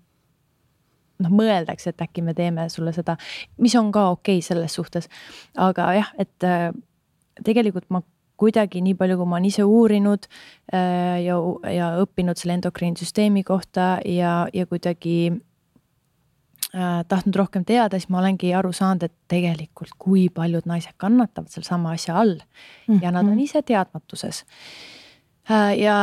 mõeldaks, et äkki me teeme sulle seda, mis on ka okei selles suhtes. Aga jah, et tegelikult ma kuidagi nii palju, kui ma olen ise uurinud ja õppinud selle endokriinsüsteemi kohta ja kuidagi tahtnud rohkem teada, siis ma olengi aru saanud, et tegelikult kui paljud naised kannatavad seal sama asja all ja nad on ise teadmatuses. Ja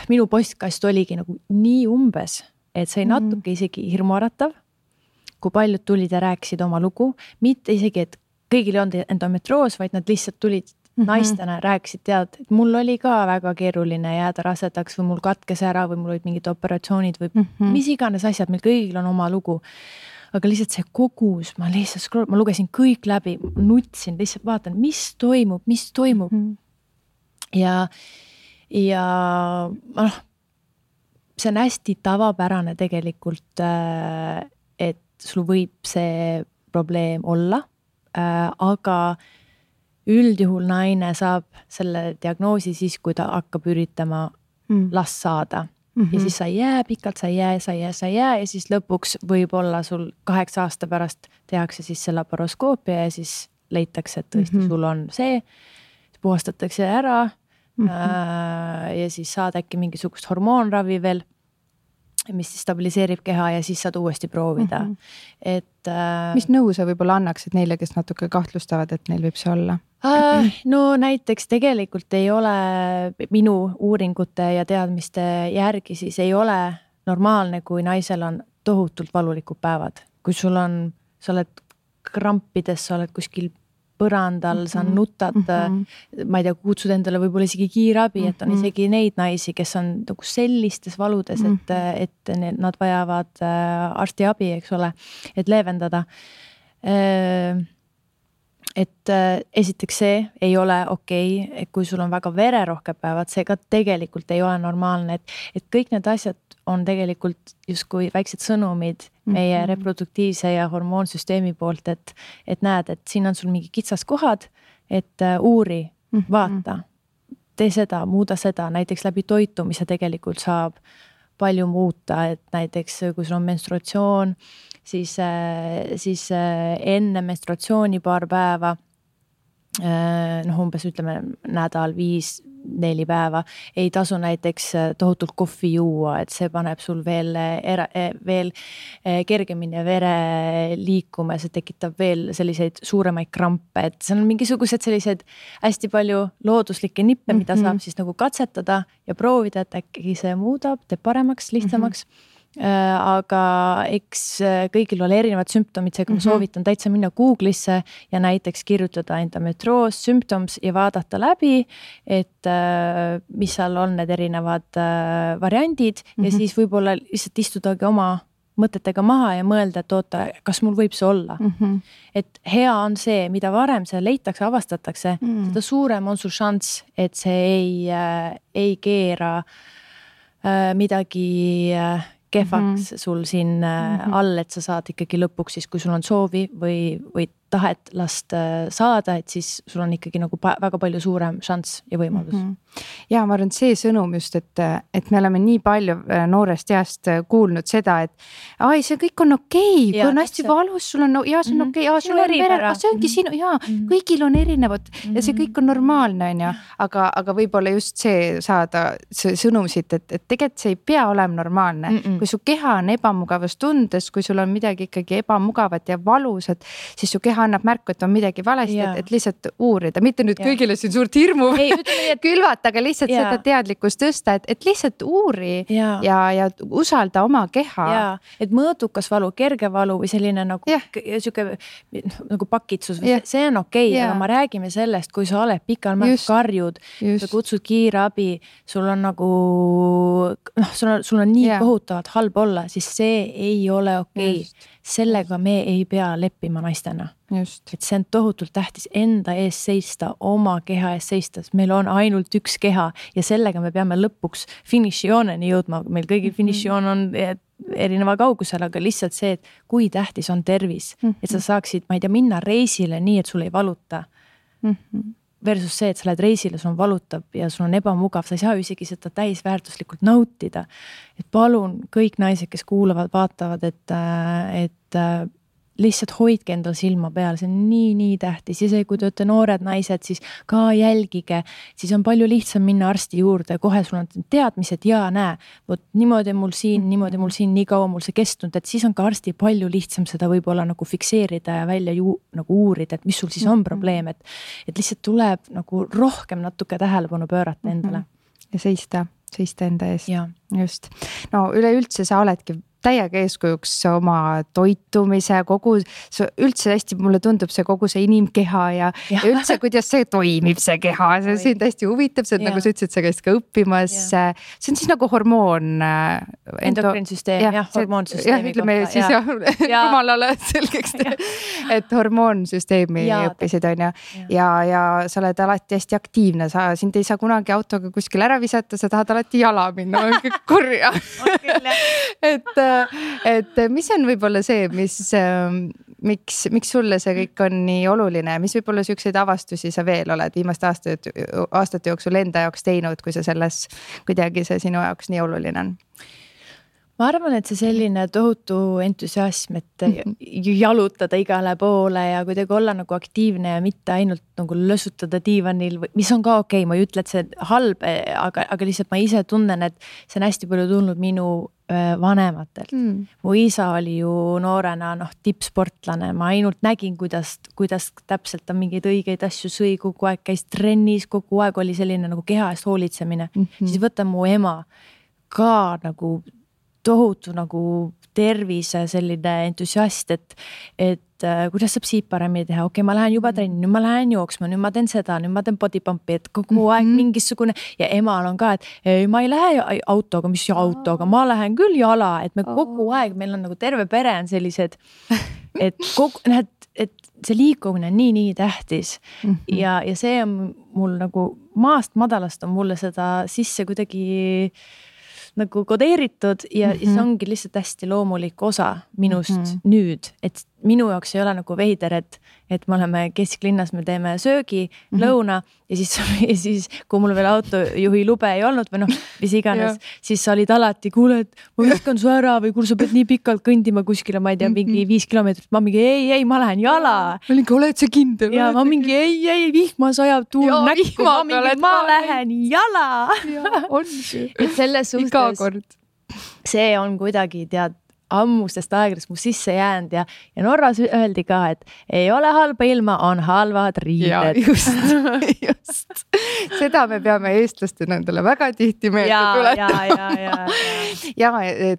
minu postkast oligi nagu nii umbes, et see natuke isegi hirmuäratav, kui paljud tulid ja rääkisid oma lugu, mitte isegi, et kõigil ei olnud endometroos, vaid nad lihtsalt tulid naistena, rääkisid, tead, et mul oli ka väga keeruline jääda rasedaks või mul katkes ära või mul olid mingid operatsioonid või mis iganes asjad, meil kõigil on oma lugu. Aga lihtsalt see kogus, ma lugesin kõik läbi, nutsin, lihtsalt vaatan, mis toimub. Ja see on hästi tavapärane tegelikult, et sul võib see probleem olla, aga üldjuhul naine saab selle diagnoosi siis, kui ta hakkab üritama last saada. Ja siis sa ei jää pikalt, sa ei jää ja siis lõpuks võib-olla sul 8 aasta pärast tehakse siis see laparoskoopia ja siis leitakse, et tõesti sul on see, puhastatakse ära ja siis saad äkki mingisugust hormoonravi veel, mis siis stabiliseerib keha ja siis saad uuesti proovida. Mis nõu sa võib-olla annaksid neile, kes natuke kahtlustavad, et neil võib see olla? No näiteks tegelikult ei ole minu uuringute ja teadmiste järgi siis ei ole normaalne, kui naisel on tohutult valulikud päevad. Kui sa oled krampides, sa oled kuskil põrandal, sa nutad, ma ei tea, kutsud endale võib-olla isegi kiirabi, et on isegi neid naisi, kes on sellistes valudes, et nad vajavad arstiabi, eks ole, et leevendada. Et esiteks see ei ole okei, et kui sul on väga vererohked päevad, see ka tegelikult ei ole normaalne, et kõik need asjad on tegelikult justkui väiksed sõnumid meie reproduktiivse ja hormoonsüsteemi poolt, et näed, et siin on sul mingi kitsas kohad, et uuri, vaata, tee seda, muuda seda, näiteks läbi toitumise tegelikult saab palju muuta, et näiteks kui sul on menstruatsioon, siis enne menstruatsiooni paar päeva, umbes ütleme nädal 5-4 päeva, ei tasu näiteks tohutult kohvi juua, et see paneb sul veel kergemini vere liikuma, see tekitab veel selliseid suuremaid krampe, et see on mingisugused sellised hästi palju looduslikke nippe, mida saab siis nagu katsetada ja proovida, et äkki see muudab, teeb paremaks, lihtsamaks. Aga eks kõigil ole erinevad sümptomid, seega ma soovitan täitsa minna Google'isse ja näiteks kirjutada endometroos symptoms ja vaadata läbi, et mis seal on need erinevad variandid ja siis võib-olla lihtsalt istudagi oma mõtetega maha ja mõelda, et oota, kas mul võib see olla. Et hea on see, mida varem see leitakse, avastatakse, seda suurem on sul šanss, et see ei keera midagi kehvaks sul siin all, et sa saad ikkagi lõpuks siis, kui sul on soovi või tahet last saada, et siis sul on ikkagi nagu väga palju suurem šanss ja võimalus. Ja ma arvan, see sõnum just, et me oleme nii palju noorest east kuulnud seda, et see kõik on okei, kui on hästi valus, sul on, see on okei, sul on vere, see ongi sinu, kõigil on erinevad ja see kõik on normaalne, aga võib-olla just see saada see sõnum siit, et tegelikult see ei pea olema normaalne. Kui su keha on ebamugavas tundes, kui sul on midagi ikkagi ebamugavat ja valusat, siis su keha annab märku, et on midagi valesti, et lihtsalt uurida, mitte nüüd kõigile siin suurt hirmu külvata, aga lihtsalt seda teadlikkust tõsta, et lihtsalt uuri ja usalda oma keha. Et mõõdukas valu, kerge valu või selline nagu pakitsus, see on okei, aga ma räägime sellest, kui sa oled pikal märk karjud, sa kutsud kiirabi, sul on nagu, sul on nii kohutavalt halb olla, siis see ei ole okei. Sellega me ei pea leppima naistena. Just. Et see on tohutult tähtis enda ees seista, oma keha ees seista, meil on ainult üks keha ja sellega me peame lõpuks finišijooneni jõudma. Meil kõigi finišijoon on erineva kaugusel, aga lihtsalt see, et kui tähtis on tervis, et sa saaksid, ma ei tea, minna reisile nii, et sul ei valuta. Versus see, et sa lähed reisile, sul on valutab ja sul on ebamugav, sa ei saa isegi seda täisväärtuslikult nautida. Et palun kõik naised, kes kuulavad, vaatavad, et lihtsalt hoidke endal silma peal, see on nii tähtis ja see, kui te olete noored naised, siis ka jälgige, siis on palju lihtsam minna arsti juurde, kohe sul on teadmised ja näe, võt niimoodi mul siin, nii kaua mul see kestnud, et siis on ka arsti palju lihtsam seda võib-olla nagu fikseerida ja välja nagu uurida, et mis sul siis on probleem, et lihtsalt tuleb nagu rohkem natuke tähelepanu pöörata endale. Ja seista enda ees. Just. No üleüldse sa oledki täiega eeskujuks oma toitumise, kogu üldse hästi, mulle tundub see kogu see inimkeha ja üldse, kuidas see toimib, see keha, see on täiesti huvitav, see on nagu sa ütlesid, sa käisid ka õppimas. See on siis nagu hormoon. Endokriinsüsteem, hormoonsüsteemi ütleme siis jumalale selgeks, et hormoonsüsteemi õppisid on ja sa oled alati hästi aktiivne, sind ei saa kunagi autoga kuskil ära visata, sa tahad alati jala minna, kurja. et mis on võib-olla see, miks sulle see kõik on nii oluline, mis võib-olla siukseid avastusi sa veel oled viimaste aastate jooksul enda jaoks teinud, kui sa selles kuidagi see sinu jaoks nii oluline on? Ma arvan, et see selline tohutu entusiasm, et jalutada igale poole ja kuidagi olla nagu aktiivne ja mitte ainult nagu lösutada diivanil, mis on ka okei, ma ei ütle, et see halb, aga lihtsalt ma ise tunnen, et see on hästi palju tulnud minu vanematelt. Mu isa oli ju noorena tippsportlane, ma ainult nägin, kuidas täpselt ta mingeid õigeid asju sõi, kogu aeg käis trennis, kogu aeg oli selline nagu keha eest hoolitsemine. Siis võtan mu ema ka nagu tohutu nagu tervise selline entusiast, et kuidas saab siit paremini teha, okei, ma lähen juba trenni, nüüd ma lähen jooksma, nüüd ma teen seda, nüüd ma teen body pumpi, et kogu aeg mingisugune ja emal on ka, et ei, ma ei lähe autoga, mis autoga, ma lähen küll jala, et me kogu aeg, meil on nagu terve pere on sellised, et see liikumine on nii tähtis ja see on mul nagu maast madalast on mulle seda sisse kuidagi nagu kodeeritud ja see ongi lihtsalt hästi loomulik osa minust nüüd, et minu jaoks ei ole nagu veider, et me oleme kesklinnas, me teeme söögi, lõuna ja siis kui mul veel autojuhi lube ei olnud või mis iganes, siis sa olid alati, kuule, et ma viskan su ära või kuule, sa pead nii pikalt kõndima kuskile, ma ei tea, mingi 5 kilomeetrit, ma mingi ei, ma lähen jala. Oled sa kindel? Ja ma mingi ei, vihmas ajab tuul näkku, ma lähen jala. Et selles suhtes, see on kuidagi ammustest aegradest mu sisse jäänud ja Norras öeldi ka, et ei ole halba ilma, on halvad riided. Just. Seda me peame eestlastena endale väga tihti meelde tuletama. Ja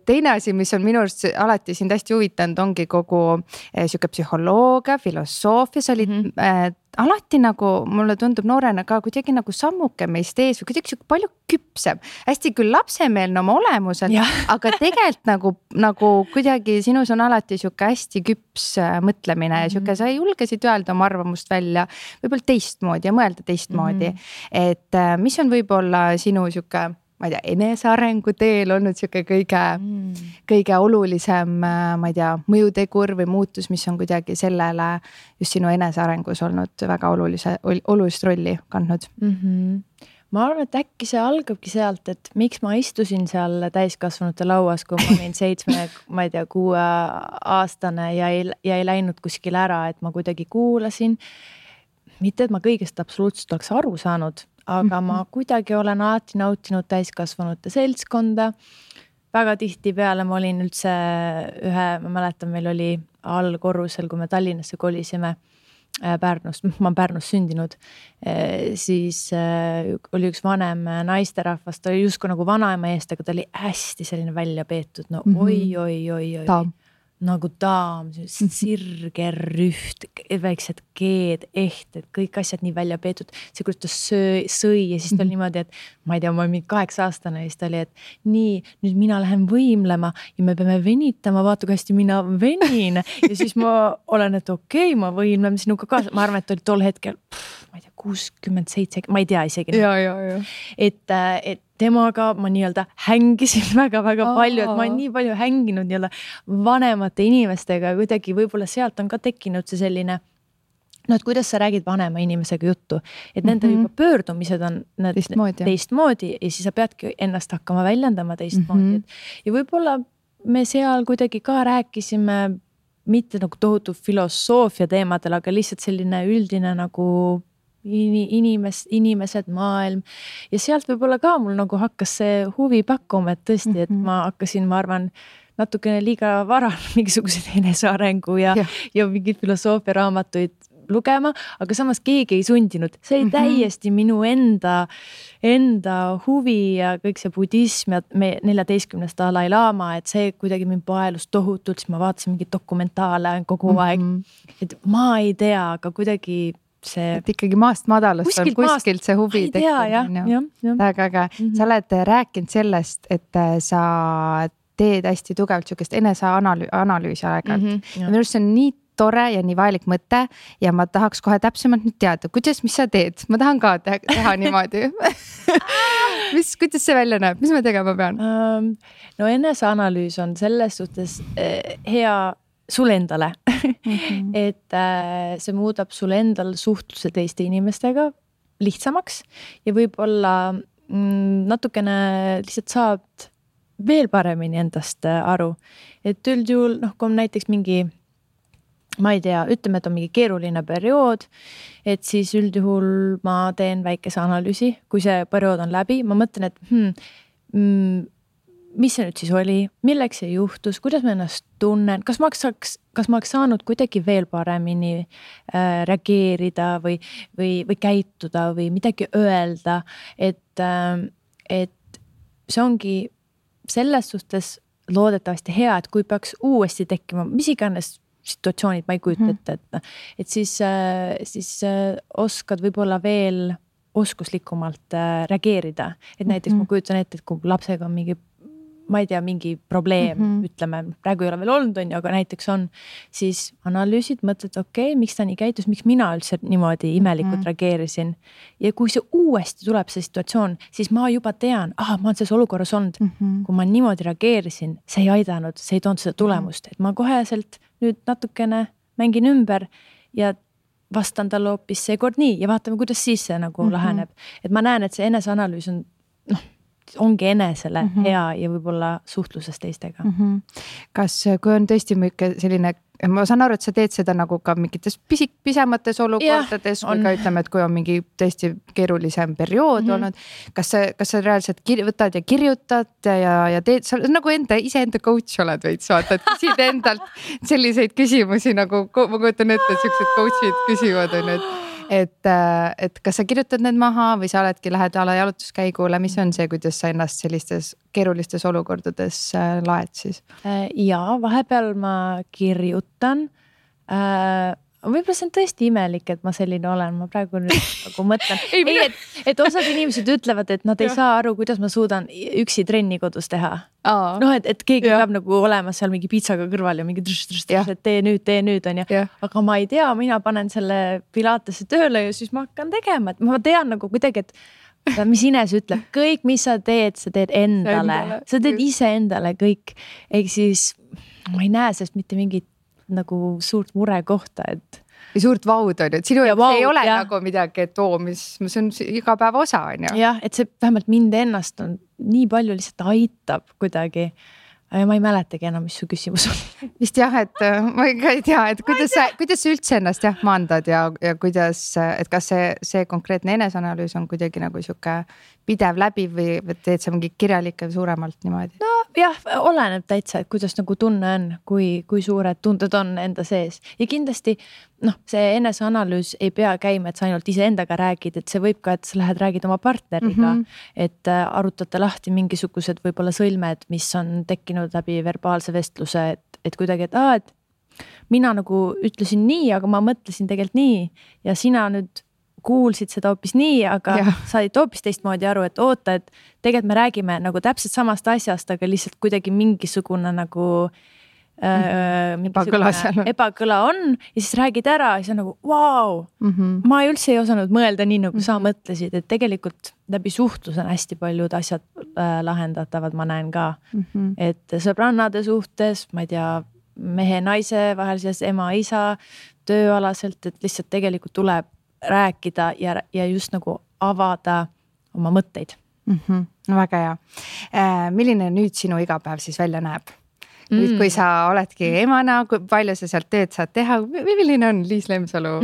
teine asi, mis on minu arust alati sind hästi huvitanud, ongi kogu siuke psühholoogia, filosoofia, sa olid alati nagu, mulle tundub noorena ka kuidagi nagu sammuke meist ees või kuidagi palju küpsem. Hästi küll lapsemeelne oma olemusel, aga tegelikult nagu kuidagi sinus on alati siuke hästi küps mõtlemine ja siuke, sa julgesid öelda oma arvamust välja võib-olla teistmoodi ja mõelda teistmoodi. Et mis on võib-olla sinu siuke, ma ei tea, enesearengu teel olnud siuke kõige olulisem, ma ei tea, mõjutegur või muutus, mis on kuidagi sellele just sinu enesearengus olnud väga olulist rolli kandnud? Ma arvan, et äkki see algabki sealt, et miks ma istusin seal täiskasvanute lauas, kui ma olin 7, ma ei tea, 6 aastane ja ei läinud kuskil ära, et ma kuidagi kuulasin. Mitte, et ma kõigest absoluutselt oleks aru saanud, aga ma kuidagi olen alati nautinud täiskasvanute seltskonda. Väga tihti peale ma olin üldse ma mäletan, meil oli allkorrusel, kui me Tallinnasse kolisime Pärnust, ma olen Pärnus sündinud, siis oli üks vanem naisterahvas, ta oli justkui nagu vanaema eest, aga ta oli hästi selline välja peetud, oi. Nagu daam, sirge, rüht, väiksed keed, ehted, kõik asjad nii välja peetud. See, kuidas ta sõi ja siis ta oli niimoodi, et ma ei tea, ma olin 8-aastane ja siis ta oli, et nii, nüüd mina lähen võimlema ja me peame venitama, vaata, kui hästi mina venin. Ja siis ma olen, et okei, ma võimlen sinuga kaasa. Ma arvan, et oli tol hetkel, ma ei tea, 67, ma ei tea isegi. Ja. Et temaga ma nii-öelda hängisin väga-väga palju, et ma olen nii palju hänginud nii-öelda vanemate inimestega ja kuidagi võib-olla sealt on ka tekkinud see selline, et kuidas sa räägid vanema inimesega juttu, et nende juba pöördumised on teistmoodi ja siis sa peadki ennast hakkama väljendama teistmoodi. Ja võib-olla me seal kuidagi ka rääkisime mitte nagu tohutu filosoofia teemadel, aga lihtsalt selline üldine nagu inimesed, maailm ja sealt võib-olla ka mul nagu hakkas see huvi pakkuma, et tõesti, et ma hakkasin, ma arvan, natukene liiga vara mingisuguseid enesearengu ja mingid filosoofia raamatuid lugema, aga samas keegi ei sundinud, see oli täiesti minu enda huvi ja kõik see budism ja 14. Dalai-laama, et see kuidagi mind paelus tohutult, siis ma vaatasin mingeid dokumentaale kogu aeg, et ma ei tea, aga kuidagi see. Et ikkagi maast madalast on kuskilt see huvi tekkinud. Väga äge. Sa oled rääkinud sellest, et sa teed hästi tugevalt sükest eneseanalüüsi aeg-ajalt. Ja minu arust see on nii tore ja nii vajalik mõte ja ma tahaks kohe täpsemalt nüüd teada, mis sa teed? Ma tahan ka teha niimoodi. Kuidas see välja näeb? Mis ma tegema pean? No eneseanalüüs on selles suhtes hea sul endale, et see muudab sul endal suhtluse teiste inimestega lihtsamaks ja võib-olla natukene lihtsalt saad veel paremini endast aru. Et üldjuhul, kui on näiteks mingi, ma ei tea, ütleme, et on mingi keeruline periood, et siis üldjuhul ma teen väikese analüüsi, kui see periood on läbi, ma mõtlen, et mis see nüüd siis oli, milleks see juhtus, kuidas ma ennast tunnen, kas ma oleks saanud kuidagi veel paremini reageerida või käituda või midagi öelda, et see ongi selles suhtes loodetavasti hea, et kui peaks uuesti tekkima, mis iganes situatsioonid, ma ei kujuta ette, et siis oskad võib-olla veel oskuslikumalt reageerida, et näiteks ma kujutan ette, et kui lapsega on mingi ma ei tea, mingi probleem, ütleme, praegu ei ole veel olnud, aga näiteks on, siis analüüsid, mõtled, okei, miks ta nii käitus, miks mina üldse niimoodi imelikult reageerisin. Ja kui see uuesti tuleb see situatsioon, siis ma juba tean, ma olen selles olukorras olnud, kui ma niimoodi reageerisin, see ei aidanud, see ei toonud seda tulemust, et ma koheselt nüüd natukene mängin ümber ja vastan talle hoopis seekord nii ja vaatame, kuidas siis see nagu laheneb. Et ma näen, et see eneseanalüüs on, ongi enesele hea ja võib-olla suhtluses teistega. Kas, kui on tõesti selline, ma saan aru, et sa teed seda nagu ka mingites pisemates olukordades, kui ka ütleme, et kui on mingi tõesti keerulisem periood olnud, kas sa reaalselt võtad ja kirjutad ja teed, sa nagu iseenda coach oled veits, vaata, et küsid endalt selliseid küsimusi nagu, ma kujutan ette, et sellised coachid küsivad on, et kas sa kirjutad need maha või sa oledki, lähed jalutuskäigule, mis on see, kuidas sa ennast sellistes keerulistes olukordades laed siis? Ja vahepeal ma kirjutan. Võib-olla see on tõesti imelik, et ma selline olen, ma praegu nüüd nagu mõtlen. Et osad inimesed ütlevad, et nad ei saa aru, kuidas ma suudan üksi trenni kodus teha. Et keegi peab nagu olema seal mingi piitsaga kõrval ja mingi et tee nüüd on ja. Aga ma ei tea, mina panen selle pilatesse tööle ja siis ma hakkan tegema, et ma tean nagu kuidagi, et mis Ines ütleb, kõik, mis sa teed endale. Sa teed ise endale kõik. Ehk siis ma ei näe sellest mitte mingit nagu suurt mure kohta, et või suurt vaud on, et sinu ei ole nagu midagi, et mis on iga päeva osa on ju. Jah, et see vähemalt mind ennast on nii palju lihtsalt aitab kuidagi. Ma ei mäletagi enam, mis su küsimus on. Vist jah, et ma ei tea, et kuidas sa üldse ennast maandad ja kuidas, et kas see konkreetne eneseanalüüs on kuidagi nagu siuke pidev läbi või teed sa mingi kirjalikke suuremalt niimoodi? No jah, oleneb täitsa, et kuidas nagu tunne on, kui suured tunded on enda sees. Ja kindlasti see eneseanalüüs ei pea käima, et sa ainult ise endaga räägid, et see võib ka, et sa lähed räägid oma partneriga, et arutate lahti mingisugused võib-olla sõlmed, mis on tekkinud läbi verbaalse vestluse, et kuidagi, et mina nagu ütlesin nii, aga ma mõtlesin tegelikult nii ja sina nüüd kuulsid seda hoopis nii, aga said hoopis teistmoodi aru, et oota, et tegelikult me räägime nagu täpselt samast asjast, aga lihtsalt kuidagi mingisugune nagu ebakõla on ja siis räägid ära ja see on nagu vau, ma üldse ei osanud mõelda nii, nagu sa mõtlesid, et tegelikult läbi suhtlus on hästi paljud asjad lahendatavad, ma näen ka, et sõbrannade suhtes, ma ei tea, mehe-naise vahelises, ema-isa, tööalaselt, et lihtsalt tegelikult tuleb rääkida ja just nagu avada oma mõtteid. Väga hea. Milline nüüd sinu igapäev siis välja näeb? Nüüd, kui sa oledki emana, kui palju sa sealt tööd saad teha, milline on Liis Lemsalu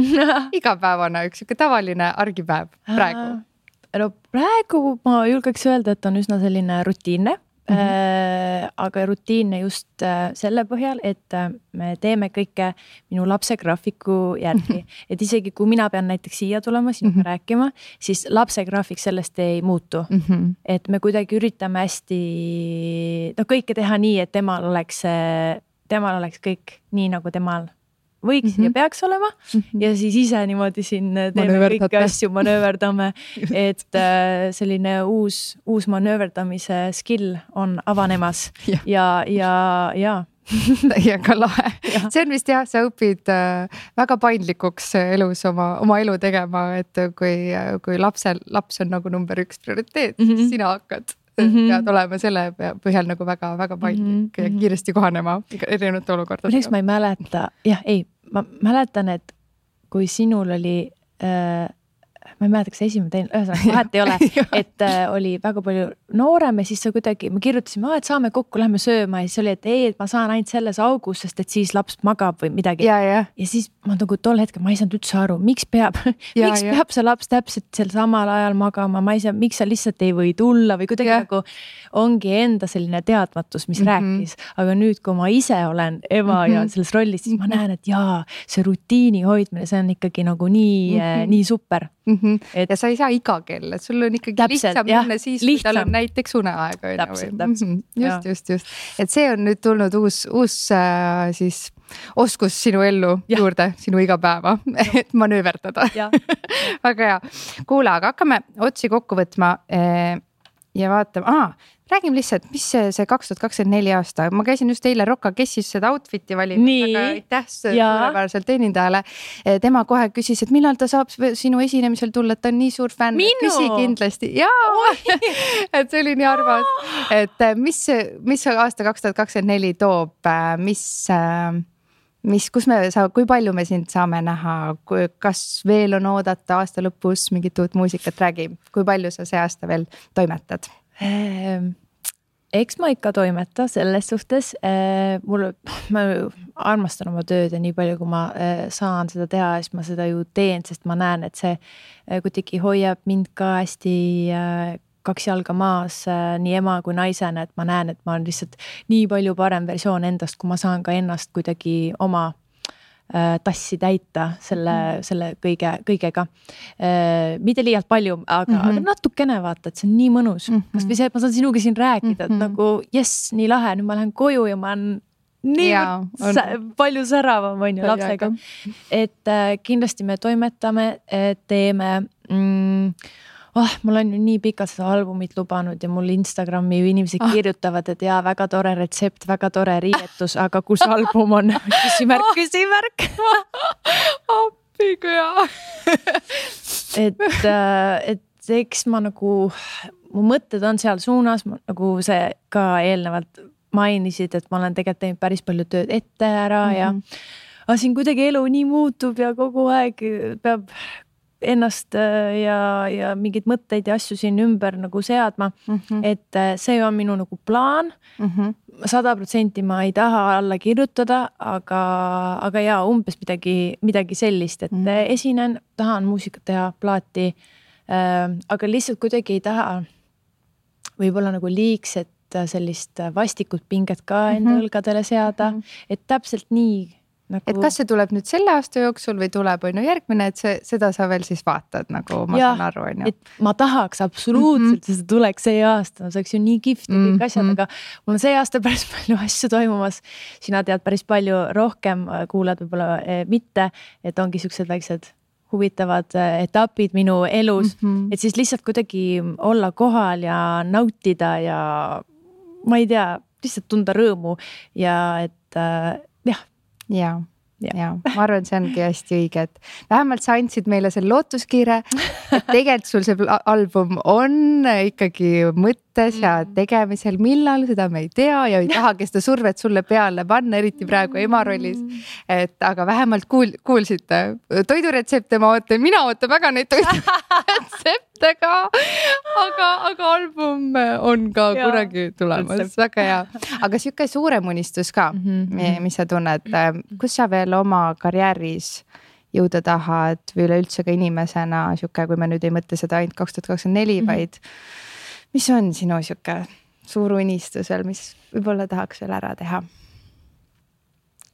igapäevana üks tavaline argipäev praegu? No praegu ma julgeks öelda, et on üsna selline rutiinne. aga rutiinne just selle põhjal, et me teeme kõike minu lapse graafiku järgi. Et isegi kui mina pean näiteks siia tulema, sinuga rääkima, siis lapse graafik sellest ei muutu. Et me kuidagi üritame hästi kõike teha nii, et temal oleks kõik nii, nagu temal võiks ja peaks olema ja siis ise niimoodi siin teeme kõiki asju, manööverdame, et selline uus manööverdamise skill on avanemas ja. Täiega lahe. See on vist sa õpid väga paindlikuks elus oma elu tegema, et kui laps on nagu number 1 prioriteet, siis sina hakkad pead olema selle põhjal nagu väga paindlik ja kiiresti kohanema erinevate olukordadega. Milleks ma ei mäleta, ma mäletan, et kui sinul oli, ma ei mäleta, kas esimene teine, ühesõnaga vahet ei ole, et oli väga palju noorem ja siis sa kuidagi, me kirjutasime, et saame kokku, lähme sööma ja siis oli, et ma saan ainult selles augus, sest et siis laps magab või midagi. Ja siis ma nagu tol hetkel, ma ei saanud üldse aru, miks peab see laps täpselt sel samal ajal magama, ma ei saa, miks sa lihtsalt ei või tulla või kuidagi nagu ongi enda selline teadmatus, mis rääkis. Aga nüüd, kui ma ise olen ema ja selles rollis, siis ma näen, et see rutiini hoidmine, see on ikkagi nagu nii super. Ja sa ei saa iga kell, et sul on ikkagi lihtsam minna siis, kui tal on näiteks uneaeg. Täpselt. Just. Et see on nüüd tulnud uus siis oskus sinu ellu juurde, sinu igapäeva, et manööverdada. Väga hea. Kuule, aga hakkame otsi kokku võtma ja vaatame, räägime lihtsalt, mis see 2024 aasta, ma käisin just eile Rocca Kessis seda outfiti valinud, aga aitäh suurepäraselt teenindajale. Tema kohe küsis, et millal ta saab sinu esinemisel tulla, et ta on nii suur fänn. Küsi kindlasti. Et see oli nii armas. Et mis aasta 2024 toob, kui palju me sind saame näha, kas veel on oodata aasta lõpus mingit uut muusikat, räägi, kui palju sa see aasta veel toimetad? Eks ma ikka toimeta selles suhtes, ma armastan oma tööd ja nii palju, kui ma saan seda teha, siis ma seda ju teen, sest ma näen, et see kuidagi hoiab mind ka hästi kaks jalga maas nii ema kui naisena, et ma näen, et ma olen lihtsalt nii palju parem versioon endast, kui ma saan ka ennast kuidagi oma tassi täita selle kõigega. Mitte liialt palju, aga natukene vaata, et see on nii mõnus. Kas või see, et ma saan sinuga siin rääkida, et nagu nii lahe, nüüd ma lähen koju ja ma olen nii palju säravam on ju lapsega. Et kindlasti me toimetame, teeme mul on ju nii pikalt seda albumit lubanud ja mul Instagrami inimesed kirjutavad, et väga tore retsept, väga tore riietus, aga kus album on? Küsimärk. Appi, kui hea. Et eks ma nagu, mu mõtted on seal suunas, nagu see ka eelnevalt mainisid, et ma olen tegelikult teinud päris palju tööd ette ära ja siin kuidagi elu nii muutub ja kogu aeg peab ennast ja mingid mõtteid ja asju siin ümber nagu seadma, et see on minu nagu plaan. 100% ma ei taha alla kirjutada, aga umbes midagi sellist, et esinen, tahan muusikat teha, plaati, aga lihtsalt kuidagi ei taha võib-olla nagu liigset sellist vastikut pinget ka enda õlgadele seada, et täpselt nii nagu... Et kas see tuleb nüüd selle aasta jooksul või tuleb järgmine, et seda sa veel siis vaatad, nagu ma saan aru. Et ma tahaks absoluutselt, et see tuleks see aasta, see oleks ju nii kihvt ja kõik asjad, aga mul on see aasta päris palju asju toimumas. Sina tead päris palju rohkem, kuulad võib-olla mitte, et ongi siuksed väiksed huvitavad etapid minu elus, et siis lihtsalt kuidagi olla kohal ja nautida ja ma ei tea, lihtsalt tunda rõõmu ja et Ja, ma arvan, see ongi hästi õige, et vähemalt sa andsid meile selle lootuskiire, et tegelikult sul see album on ikkagi mõttes ja tegemisel, millal seda me ei tea ja ei tahagi seda survet sulle peale panna, eriti praegu ema rollis, et aga vähemalt kuulsite toiduretsepte, mina ootan väga neid toiduretsepte ka, aga album on ka kunagi tulemas, väga hea. Aga siuke suurem unistus ka, mis sa tunned, kus sa veel oma karjääris jõuda tahad või üleüldse ka inimesena siuke, kui me nüüd ei mõtle seda ainult 2024, vaid mis on sinu siuke suur unistusel, mis võib-olla tahaks veel ära teha?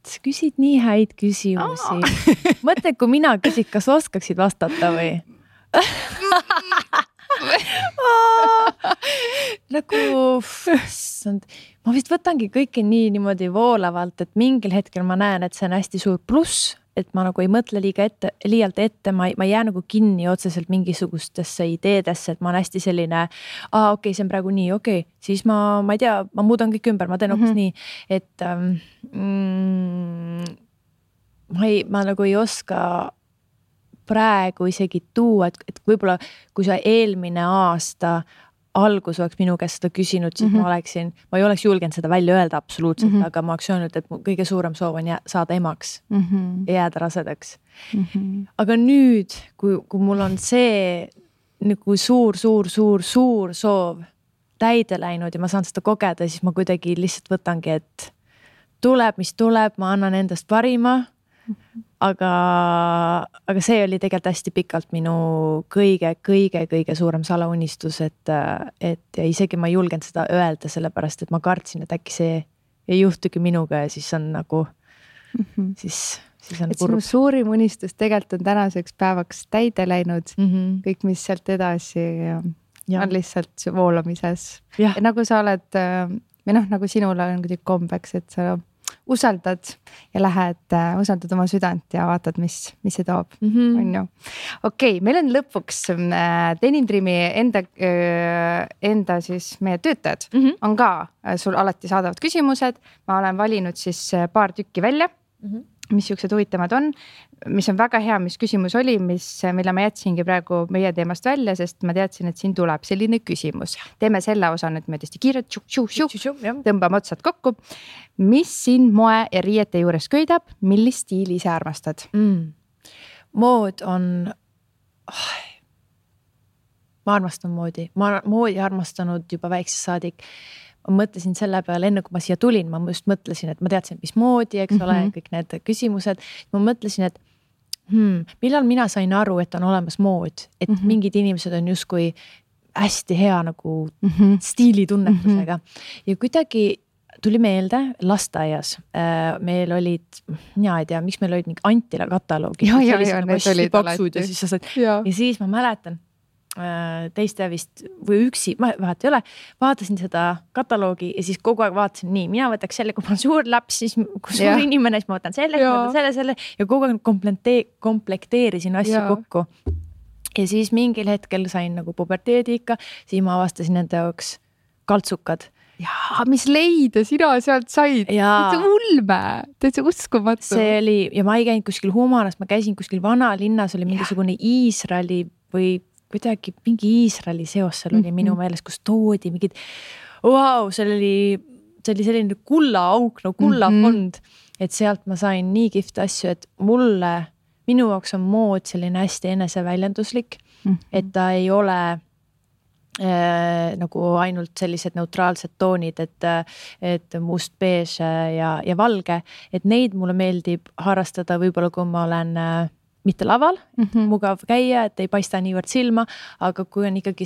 Sa küsid nii häid küsimusi. Mõtle, kui mina küsid, kas oskaksid vastata või? Nagu, ma vist võtangi kõike niimoodi voolavalt, et mingil hetkel ma näen, et see on hästi suur pluss, et ma nagu ei mõtle liialt ette, ma ei jää nagu kinni otseselt mingisugustesse ideedesse, et ma olen hästi selline, okei, see on praegu nii, okei, siis ma ei tea, ma muudan kõik ümber, ma teen hoopis nii, et ma nagu ei oska praegu isegi tuua, et võib-olla kui sa eelmine aasta algus oleks minu käest seda küsinud, siis ma ei oleks julgenud seda välja öelda absoluutselt, aga ma oleks öelnud, et mu kõige suurem soov on saada emaks ja jääda rasedaks. Aga nüüd, kui mul on see nagu suur soov täide läinud ja ma saan seda kogeda, siis ma kuidagi lihtsalt võtangi, et tuleb, mis tuleb, ma annan endast parima. Aga see oli tegelikult hästi pikalt minu kõige suurem salaunistus, et isegi ma ei julgenud seda öelda, sellepärast, et ma kartsin, et äkki see ei juhtugi minuga ja siis on nagu, siis on kurb. Sinu suurim unistus tegelikult on tänaseks päevaks täide läinud, kõik, mis sealt edasi on lihtsalt voolamises. Ja nagu sa oled, või nagu sinul on kuidagi kombeks, et sa usaldad ja lähed, usaldad oma südant ja vaatad, mis see toob, on ju. Okei, meil on lõpuks Denim Dreami enda siis meie töötajad on ka sul alati saadavad küsimused. Ma olen valinud siis paar tükki välja, mis siuksed huvitavad on, mis on väga hea, mis küsimus oli, mille ma jätsingi praegu meie teemast välja, sest ma teadsin, et siin tuleb selline küsimus. Teeme selle osa nüüd mõõdesti kiirelt, tõmbame otsad kokku. Mis sind moe ja riiete juures köidab, millist stiili ise armastad? Mood on... Ma armastan moodi. Ma moodi armastanud juba väikse saadik. Ma mõtlesin selle peale, enne kui ma siia tulin, ma just mõtlesin, et ma teadsin, mis moodi, eks ole, kõik need küsimused. Ma mõtlesin, et millal mina sain aru, et on olemas mood, et mingid inimesed on justkui hästi hea nagu stiilitunnetusega. Ja kuidagi tuli meelde lasteaias. Meil olid, mina ei tea, miks meil olid mingi Antila kataloogi. Ja siis ma mäletan, teiste vist või üksi, vahet ei ole, vaatasin seda kataloogi ja siis kogu aeg vaatasin nii, mina võtaks selle, kui ma olen suur laps, siis kui suur inimene, siis ma võtan selle ja kogu aeg komplekteerisin asju kokku. Ja siis mingil hetkel sain nagu puberteedi ikka, siis ma avastasin nende jaoks kaltsukad. Jaa, mis leida sina sealt said? Täitsa ulme, täitsa uskumatu. See oli, ja ma ei käinud kuskil Humanas, ma käisin kuskil vanalinnas, oli mingisugune Iisraeli või kuidagi mingi Iisraeli seos seal oli minu meelest, kus toodi mingid, see oli selline kullaauk, kullafond, et sealt ma sain nii kihvt asju, et minu jaoks on mood selline hästi eneseväljenduslik, et ta ei ole nagu ainult sellised neutraalsed toonid, et must, beež ja valge, et neid mulle meeldib harrastada võib-olla, kui ma olen mitte laval, mugav käia, et ei paista niivõrd silma, aga kui on ikkagi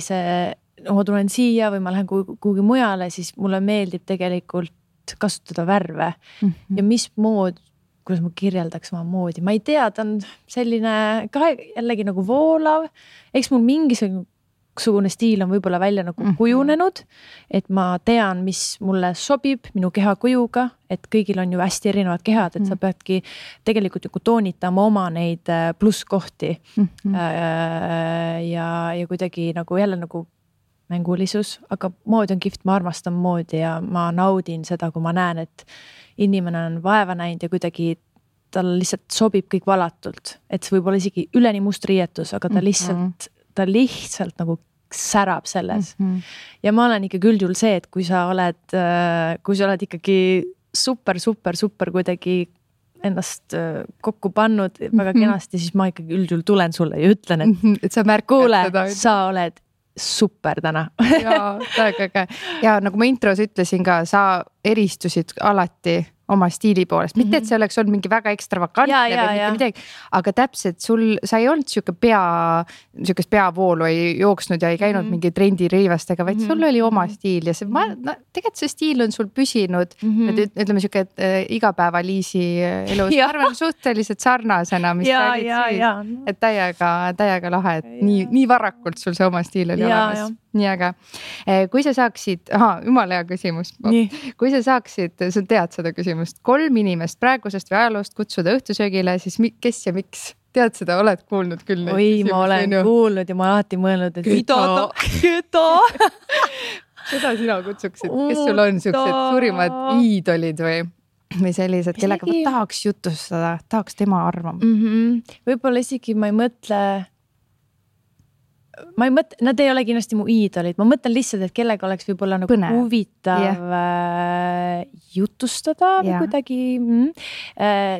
ma tulen siia või ma lähen kuhugi mujale, siis mulle meeldib tegelikult kasutada värve. Ja mis mood, kuidas ma kirjeldaks oma moodi, ma ei tea, ta on selline ka jällegi nagu voolav, eks mul mingisugune stiil on võib-olla välja nagu kujunenud, et ma tean, mis mulle sobib minu keha kujuga, et kõigil on ju hästi erinevad kehad, et sa peadki tegelikult nagu toonitama oma neid plusskohti ja kuidagi nagu jälle nagu mängulisus, aga mood on kihvt, ma armastan moodi ja ma naudin seda, kui ma näen, et inimene on vaeva näinud ja kuidagi tal lihtsalt sobib kõik valatult, et see võib olla isegi üleni must riietus, aga ta lihtsalt nagu särab selles. Ja ma olen ikkagi üldjuhul see, et kui sa oled ikkagi super kuidagi ennast kokku pannud väga kenasti, siis ma ikkagi üldjuhul tulen sulle ja ütlen, et sa märkad seda. Sa oled super täna. Ja nagu ma intros ütlesin ka, sa eristusid alati oma stiili poolest, mitte et see oleks olnud mingi väga ekstravagantne või mitte midagi, aga täpselt sa ei olnud siukest peavoolu ei jooksnud ja ei käinud mingi trendiriivastega, vaid sul oli oma stiil ja see, tegelikult see stiil on sul püsinud, ütleme siuke igapäeva-Liisi elus, ma arvan suhteliselt sarnasena, mis sa olid siis, et täiega lahe, et nii varakult sul see oma stiil oli olemas. Nii aga, kui sa saaksid, jumala hea küsimus, kui sa saaksid, sa tead seda küsimust, 3 inimest praegusest või ajaloost kutsuda õhtusöögile, siis kes ja miks? Tead seda, oled kuulnud küll? Oi, ma olen kuulnud ja ma alati mõelnud, et keda? Seda sina kutsuksid, kes sul on siuksed suurimad iidolid või sellised, kellega ma tahaks jutustada, tahaks tema arvama? Võib-olla isegi ma ei mõtle, nad ei ole kindlasti mu iidolid, ma mõtlen lihtsalt, et kellega oleks võib-olla nagu huvitav jutustada või kuidagi,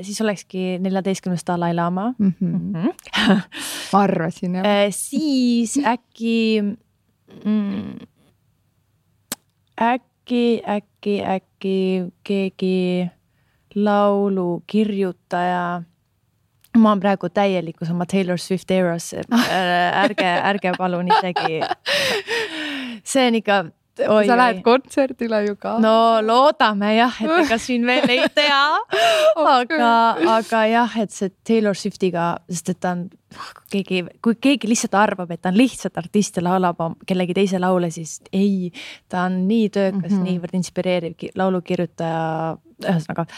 siis olekski 14. Dalai Lama. Ma arvasin, jah. Siis äkki keegi laulukirjutaja. Ma olen praegu täielikus oma Taylor Swift eras, ärge palun isegi. See on ikka... Sa lähed kontserdile ju ka. No loodame jah, et ega siin veel ei tea. Aga jah, et see Taylor Swiftiga, sest et ta on, kui keegi lihtsalt arvab, et ta on lihtsalt artist ja laulab kellegi teise laule, siis ei, ta on nii töökas, niivõrd inspireeriv laulukirjutaja, ühesõnaga.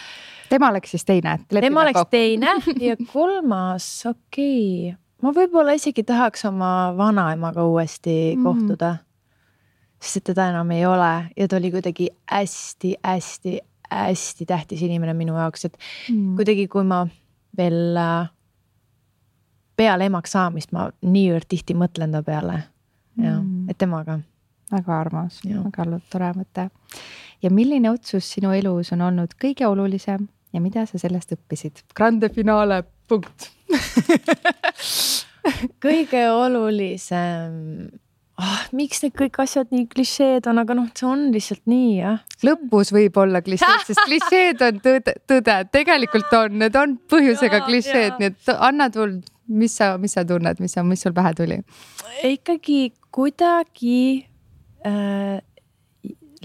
Tema oleks siis teine. Tema oleks teine ja 3, ma võib-olla isegi tahaks oma vanaemaga uuesti kohtuda, sest et teda enam ei ole ja ta oli kuidagi hästi tähtis inimene minu jaoks, et kuidagi kui ma veel peale emaks saamist, ma niivõrd tihti mõtlen ta peale, et temaga. Väga armas, väga tore mõte. Ja milline otsus sinu elus on olnud kõige olulisem ja mida sa sellest õppisid? Grande finale, punkt. Kõige olulisem, miks need kõik asjad nii klišeed on, aga see on lihtsalt nii, jah. Lõpus võib olla klišeed, sest klišeed on tõde, tegelikult on, need on põhjusega klišeed, nii et anna tul, mis sa tunned, mis sul pähe tuli? Ikkagi kuidagi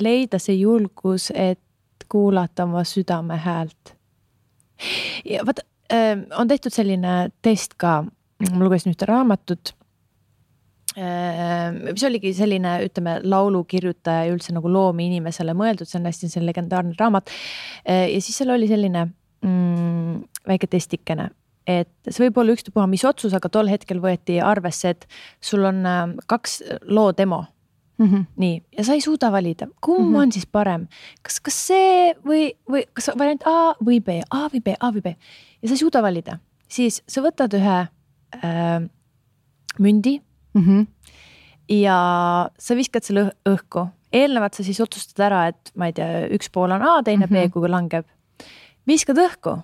leida see julgus, et kuulata oma südame häält. Ja vaata, on tehtud selline test ka, ma lugesin ühte raamatut, mis oligi selline, ütleme, laulukirjutaja ja üldse nagu loomi inimesele mõeldud, see on hästi selline legendaarne raamat. Ja siis seal oli selline väike testikene, et see võib olla ükstapuha mis otsus, aga tol hetkel võeti arvesse, et sul on 2 loo demo. Nii, ja sa ei suuda valida, kumb on siis parem, kas see või kas variant A või B, A või B ja sa ei suuda valida, siis sa võtad ühe mündi ja sa viskad selle õhku, eelnevalt sa siis otsustad ära, et ma ei tea, üks pool on A, teine B, kui langeb, viskad õhku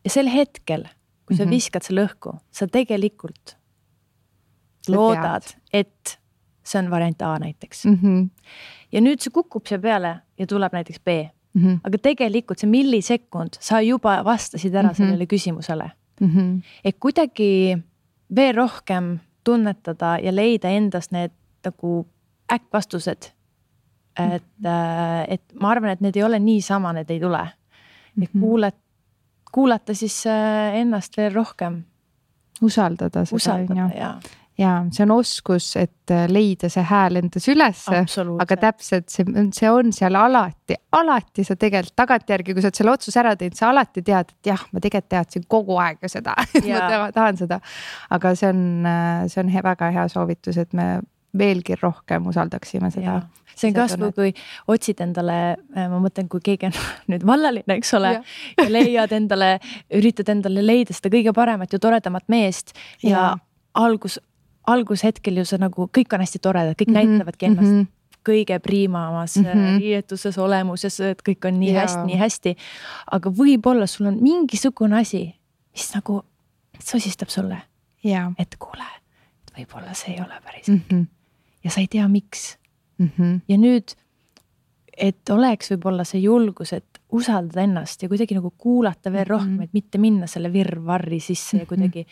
ja sel hetkel, kui sa viskad selle õhku, sa tegelikult loodad, et see on variant A näiteks. Ja nüüd see kukub see peale ja tuleb näiteks B. Aga tegelikult see millisekund sa juba vastasid ära sellele küsimusele. Et kuidagi veel rohkem tunnetada ja leida endast need nagu äkkvastused. Et ma arvan, et need ei ole nii sama, need ei tule. Et kuulata siis ennast veel rohkem. Usaldada seda. Ja see on oskus, et leida see hääl endas ülesse, aga täpselt see on seal alati sa tegelikult tagantjärgi, kui sa selle otsus ära teed, sa alati tead, et jah, ma tegelikult teadsin kogu aeg seda, et ma tahan seda, aga see on väga hea soovitus, et me veelgi rohkem usaldaksime seda. See on kasvu, kui otsid endale, ma mõtlen, kui keegi on nüüd vallaline, eks ole, ja leiad endale, üritad endale leida seda kõige paremat ja toredamat meest ja algushetkel ju see nagu, kõik on hästi toredad, kõik näitavadki ennast kõige priimamas riietuses olemuses, et kõik on nii hästi, aga võib-olla sul on mingisugune asi, mis nagu sosistab sulle, et kuule, et võib-olla see ei ole päris ja sa ei tea, miks. Ja nüüd, et oleks võib-olla see julgus, et usaldada ennast ja kuidagi nagu kuulata veel rohkem, et mitte minna selle virvarri sisse ja kuidagi,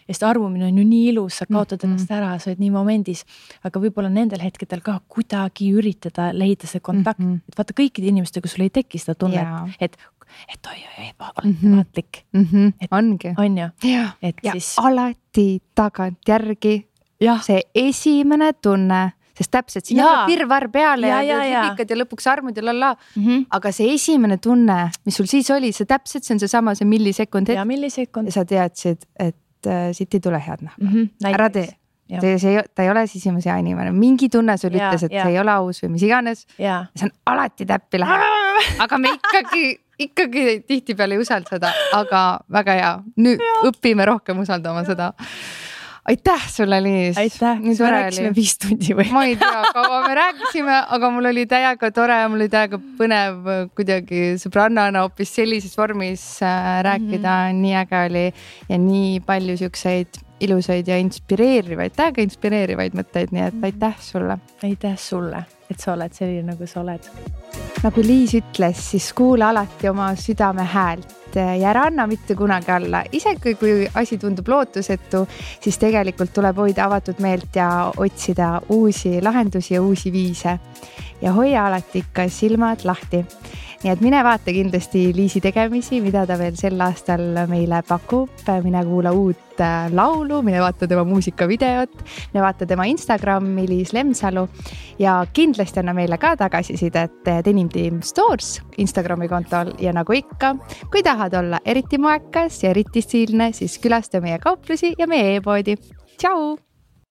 sest armumine on ju nii ilus, sa kaotad ennast ära, sa oled nii momendis, aga võib-olla nendel hetkedel ka kuidagi üritada leida see kontakt, et vaata kõikide inimestega sul ei teki seda tunnet, et oi, vaatlik. Ongi. On ju? Ja siis... alati tagantjärgi see esimene tunne, sest täpselt siin on virvar peale ja hüpikad ja lõpuks armud ja lalla. Aga see esimene tunne, mis sul siis oli, see täpselt, see on seesama, see millisekund. Ja millisekund. Ja sa teadsid, et siit ei tule head nahka. Ära tee. Ta ei ole sisimas hea inimene. Mingi tunne sul ütles, et see ei ole aus või mis iganes. See on alati täppi läheb. Aga me ikkagi tihti peale ei usalda seda, aga väga hea. Nüüd õpime rohkem usaldama seda. Aitäh sulle, Liis. Aitäh, me rääkisime 5 tundi või? Ma ei tea, kaua me rääkisime, aga mul oli täiega tore, mul oli täiega põnev kuidagi sõbrannana hoopis sellises vormis rääkida, nii äge oli ja nii palju siukseid ilusaid ja täiega inspireerivaid mõtteid, nii et aitäh sulle. Aitäh sulle, et sa oled selline, nagu sa oled. Nagu Liis ütles, siis kuula alati oma südame häält ja ära anna mitte kunagi alla. Isegi kui asi tundub lootusetu, siis tegelikult tuleb hoida avatud meelt ja otsida uusi lahendusi ja uusi viise. Ja hoia alati ikka silmad lahti. Nii et mine vaata kindlasti Liisi tegemisi, mida ta veel sel aastal meile pakub. Mine kuula uut laulu, mine vaata tema muusikavideot, mine vaata tema Instagrami Liis Lemsalu ja kindlasti anna meile ka tagasisidet Denim Team Stores Instagrami kontol ja nagu ikka, kui tahad olla eriti moekas ja eriti stiilne, siis külasta meie kauplusi ja meie e-poodi. Tšau!